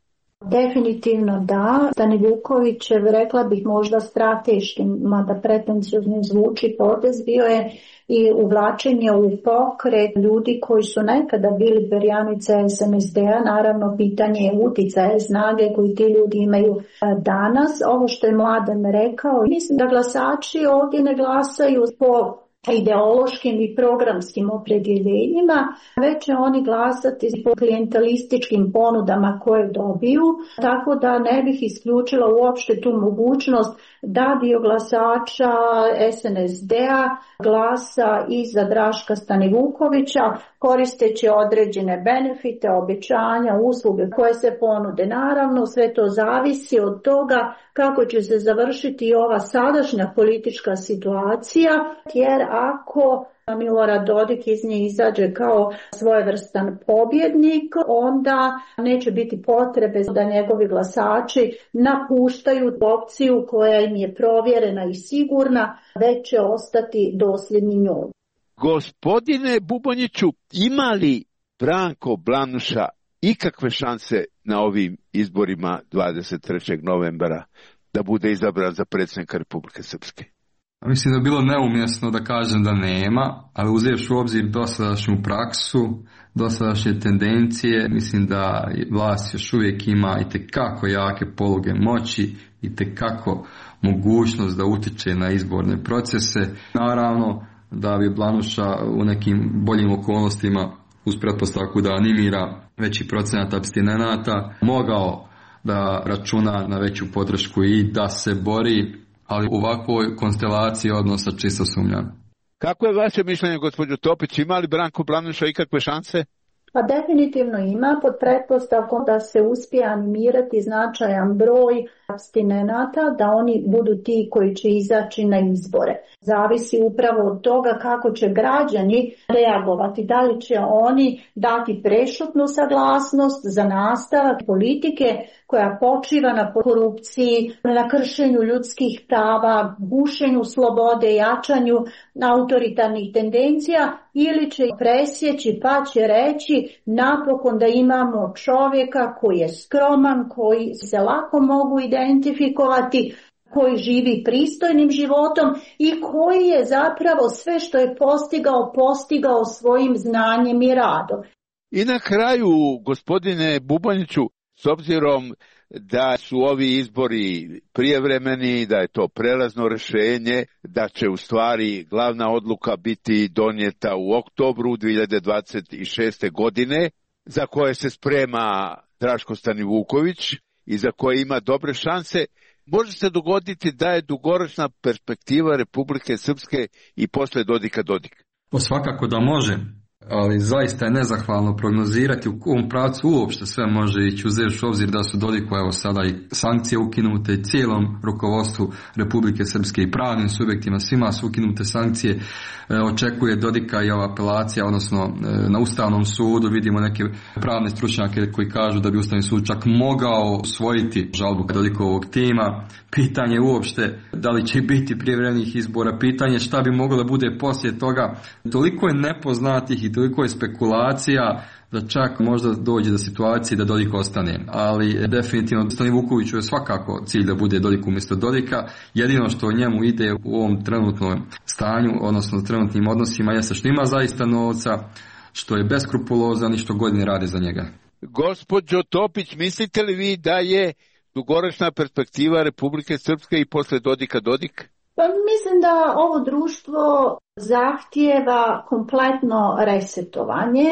Definitivno da. Stanivukovićev, rekla bih možda strateški, mada pretencijozno zvuči potez, bio je i uvlačenje u pokret ljudi koji su nekada bili perjanice es en es de-a, naravno pitanje je uticaja i snage koji ti ljudi imaju danas. Ovo što je Mladen rekao, mislim da glasači ovdje ne glasaju po ideološkim i programskim opredjeljenjima, već će oni glasati po klijentelističkim ponudama koje dobiju, tako da ne bih isključila uopšte tu mogućnost da dio glasača es en es de-a glasa i za Draška Stanivukovića, koristeći određene benefite, obećanja, usluge koje se ponude. Naravno, sve to zavisi od toga kako će se završiti ova sadašnja politička situacija, jer ako Milorad Dodik iz nje izađe kao svojevrstan pobjednik, onda neće biti potrebe da njegovi glasači napuštaju opciju koja im je provjerena i sigurna, već će ostati dosljedni njoj. Gospodine Bubonjiću, ima li Branko Blanuša ikakve šanse na ovim izborima dvadeset trećeg novembra da bude izabran za predsjednika Republike Srpske? Mislim da je bilo neumjesno da kažem da nema, ali uzevši u obzir dosadašnju praksu, dosadašnje tendencije, mislim da vlast još uvijek ima itekako jake poluge moći, itekako mogućnost da utiče na izborne procese. Naravno da bi Blanuša u nekim boljim okolnostima, uz pretpostavku da animira veći procenat apstinenata, mogao da računa na veću podršku i da se bori, ali u ovakvoj konstelaciji odnosa čisto sumnjam. Kako je vaše mišljenje, gospođo Topić, ima li Branko Blanuša ikakve šanse? Pa definitivno ima, pod pretpostavkom da se uspije animirati značajan broj apstinenata, da oni budu ti koji će izaći na izbore. Zavisi upravo od toga kako će građani reagovati, da li će oni dati prešutnu saglasnost za nastavak politike koja počiva na korupciji, na kršenju ljudskih prava, gušenju slobode, jačanju autoritarnih tendencija, ili će presjeći pa će reći napokon da imamo čovjeka koji je skroman, koji se lako mogu identifikovati, koji živi pristojnim životom i koji je zapravo sve što je postigao, postigao svojim znanjem i radom. I na kraju, gospodine Bubonjiću, s obzirom da su ovi izbori prijevremeni, da je to prelazno rješenje, da će u stvari glavna odluka biti donijeta u oktobru dvije hiljade dvadeset šeste. godine, za koje se sprema Draško Stanivuković i za koje ima dobre šanse, može se dogoditi da je dugoročna perspektiva Republike Srpske i posle Dodika Dodik. O, svakako da može, ali zaista je nezahvalno prognozirati u kom pravcu uopšte sve može ići, uzevši u obzir da su Dodiku evo sada i sankcije ukinute i cijelom rukovodstvu Republike Srpske i pravnim subjektima, svima su ukinute sankcije. E, očekuje Dodika i ova apelacija, odnosno e, na Ustavnom sudu vidimo neke pravne stručnjake koji kažu da bi Ustavni sud čak mogao usvojiti žalbu Dodikovog tima. Pitanje je uopšte da li će biti prijevremenih izbora, pitanje šta bi moglo da bude poslije toga. Toliko je nepoznatih i toliko je spekulacija da čak možda dođe do situacije da Dodik ostane. Ali definitivno Stanivukoviću je svakako cilj da bude Dodik umjesto Dodika. Jedino što njemu ide u ovom trenutnom stanju, odnosno trenutnim odnosima, jeste što ima zaista novca, što je beskrupulozan i što godine rade za njega. Gospođo Topić, mislite li vi da je dugoročna perspektiva Republike Srpske i posle Dodika Dodik? Pa mislim da ovo društvo zahtijeva kompletno resetovanje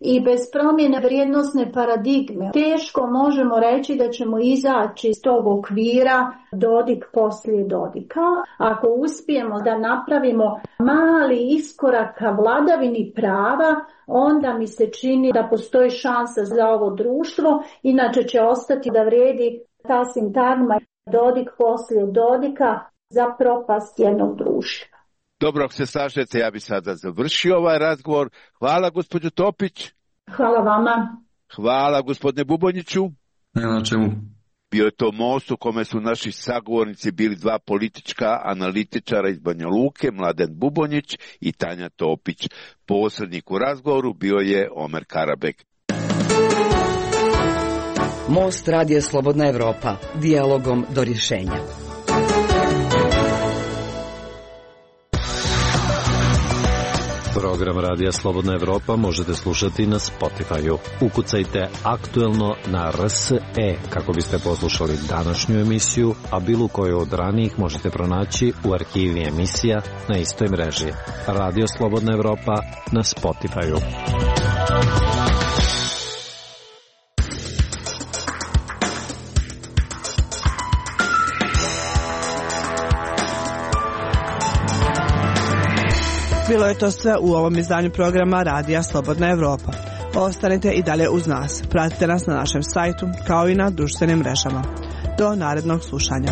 i bez promjene vrijednosne paradigme teško možemo reći da ćemo izaći iz tog okvira Dodik poslije Dodika. Ako uspijemo da napravimo mali iskorak ka vladavini prava, onda mi se čini da postoji šansa za ovo društvo, inače će ostati da vrijedi ta sintagma Dodik poslije Dodika za propast jednog društva. Dobro, ako se slažete, ja bi sada završio ovaj razgovor. Hvala, gospođo Topić. Hvala vama. Hvala gospodine Bubonjiću. Nema na čemu. Bio je to most u kome su naši sagovornici bili dva politička analitičara iz Banja Luke, Mladen Bubonjić i Tanja Topić. Posrednik u razgovoru bio je Omer Karabek. Most Radija Slobodna Evropa. Dijalogom do rješenja. Program Radija Slobodna Evropa možete slušati na Spotify-u. Ukucajte aktuelno na R S E kako biste poslušali današnju emisiju, a bilo koju od ranijih možete pronaći u arhivi emisija na istoj mreži. Radio Slobodna Evropa na Spotify-u. Bilo je to sve u ovom izdanju programa Radija Slobodna Evropa. Ostanite i dalje uz nas. Pratite nas na našem sajtu kao i na društvenim mrežama. Do narednog slušanja.